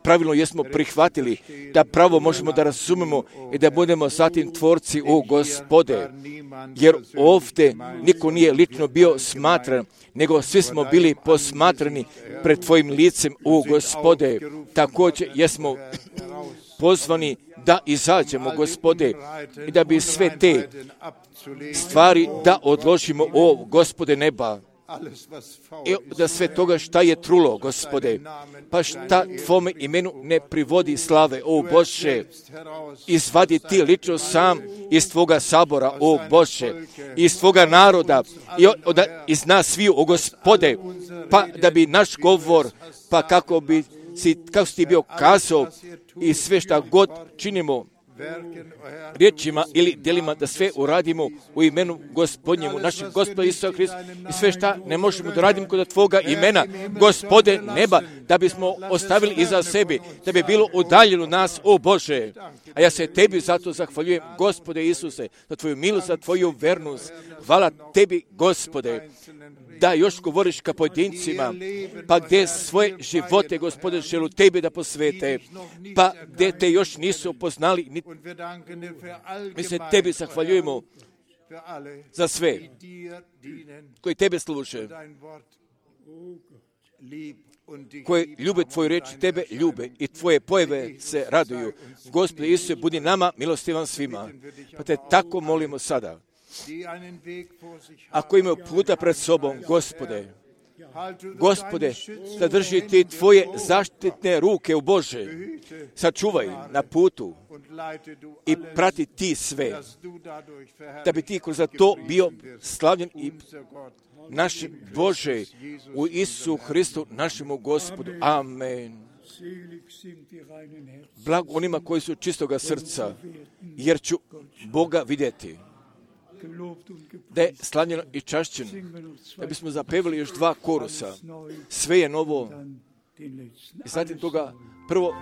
pravilno jesmo prihvatili, da pravo možemo da razumemo i da budemo zatim tvorci, o Gospode. Jer ovdje niko nije lično bio smatran, nego svi smo bili posmatrani pred Tvojim licem, o Gospode. Također jesmo pozvani da izađemo, Gospode, i da bi sve te stvari da odložimo, o Gospode neba. I da sve toga šta je trulo, Gospode, pa šta Tvome imenu ne privodi slave, o Bože, izvadi Ti lično sam iz Tvoga sabora, o Bože, iz Tvoga naroda i iz nas sviju, o Gospode, pa da bi naš govor, pa kako si Ti bio kazao i sve šta god činimo riječima ili djelima, da sve uradimo u imenu Gospodnjemu, našeg Gospoda Isusa Hrista, i sve šta ne možemo da radimo kod Tvoga imena, Gospode neba, da bismo ostavili iza sebe, da bi bilo udaljeno nas, o Bože. A ja se Tebi zato zahvaljujem, Gospode Isuse, za Tvoju milost, za Tvoju vernost. Hvala Tebi, Gospode, da još govoriš ka pojedincima, pa gdje svoje živote, Gospode, želu Tebi da posvete, pa gdje Te još nisu upoznali, mi se Tebi zahvaljujemo za sve koji Tebe služe, koji ljube Tvoju riječ, Tebe ljube i Tvoje pojave se raduju. Gospode Isuse, budi nama milostivan svima, pa Te tako molimo sada. Ako imaju puta pred sobom, Gospode, zadrži Ti Tvoje zaštitne ruke u Bože, sačuvaj na putu i prati Ti sve, da bi Ti kroz to bio slavljen i naš Bože u Isusu Hristu, našemu Gospodu. Amen. Blag onima koji su čistoga srca, jer ću Boga vidjeti. Da je slavljeno i čašćeno, da bismo zapevali još 2 korusa. Sve je novo. I zatim toga prvo...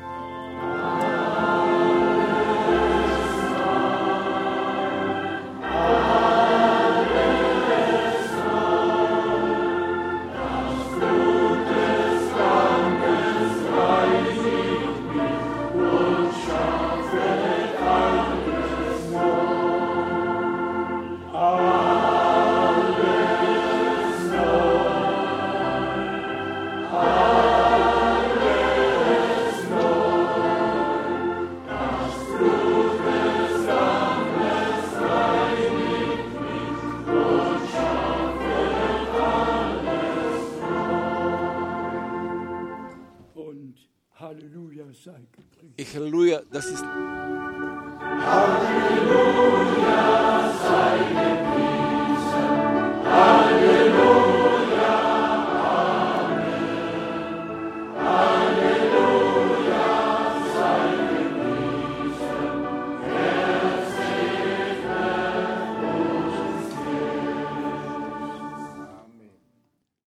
I halleluja, da si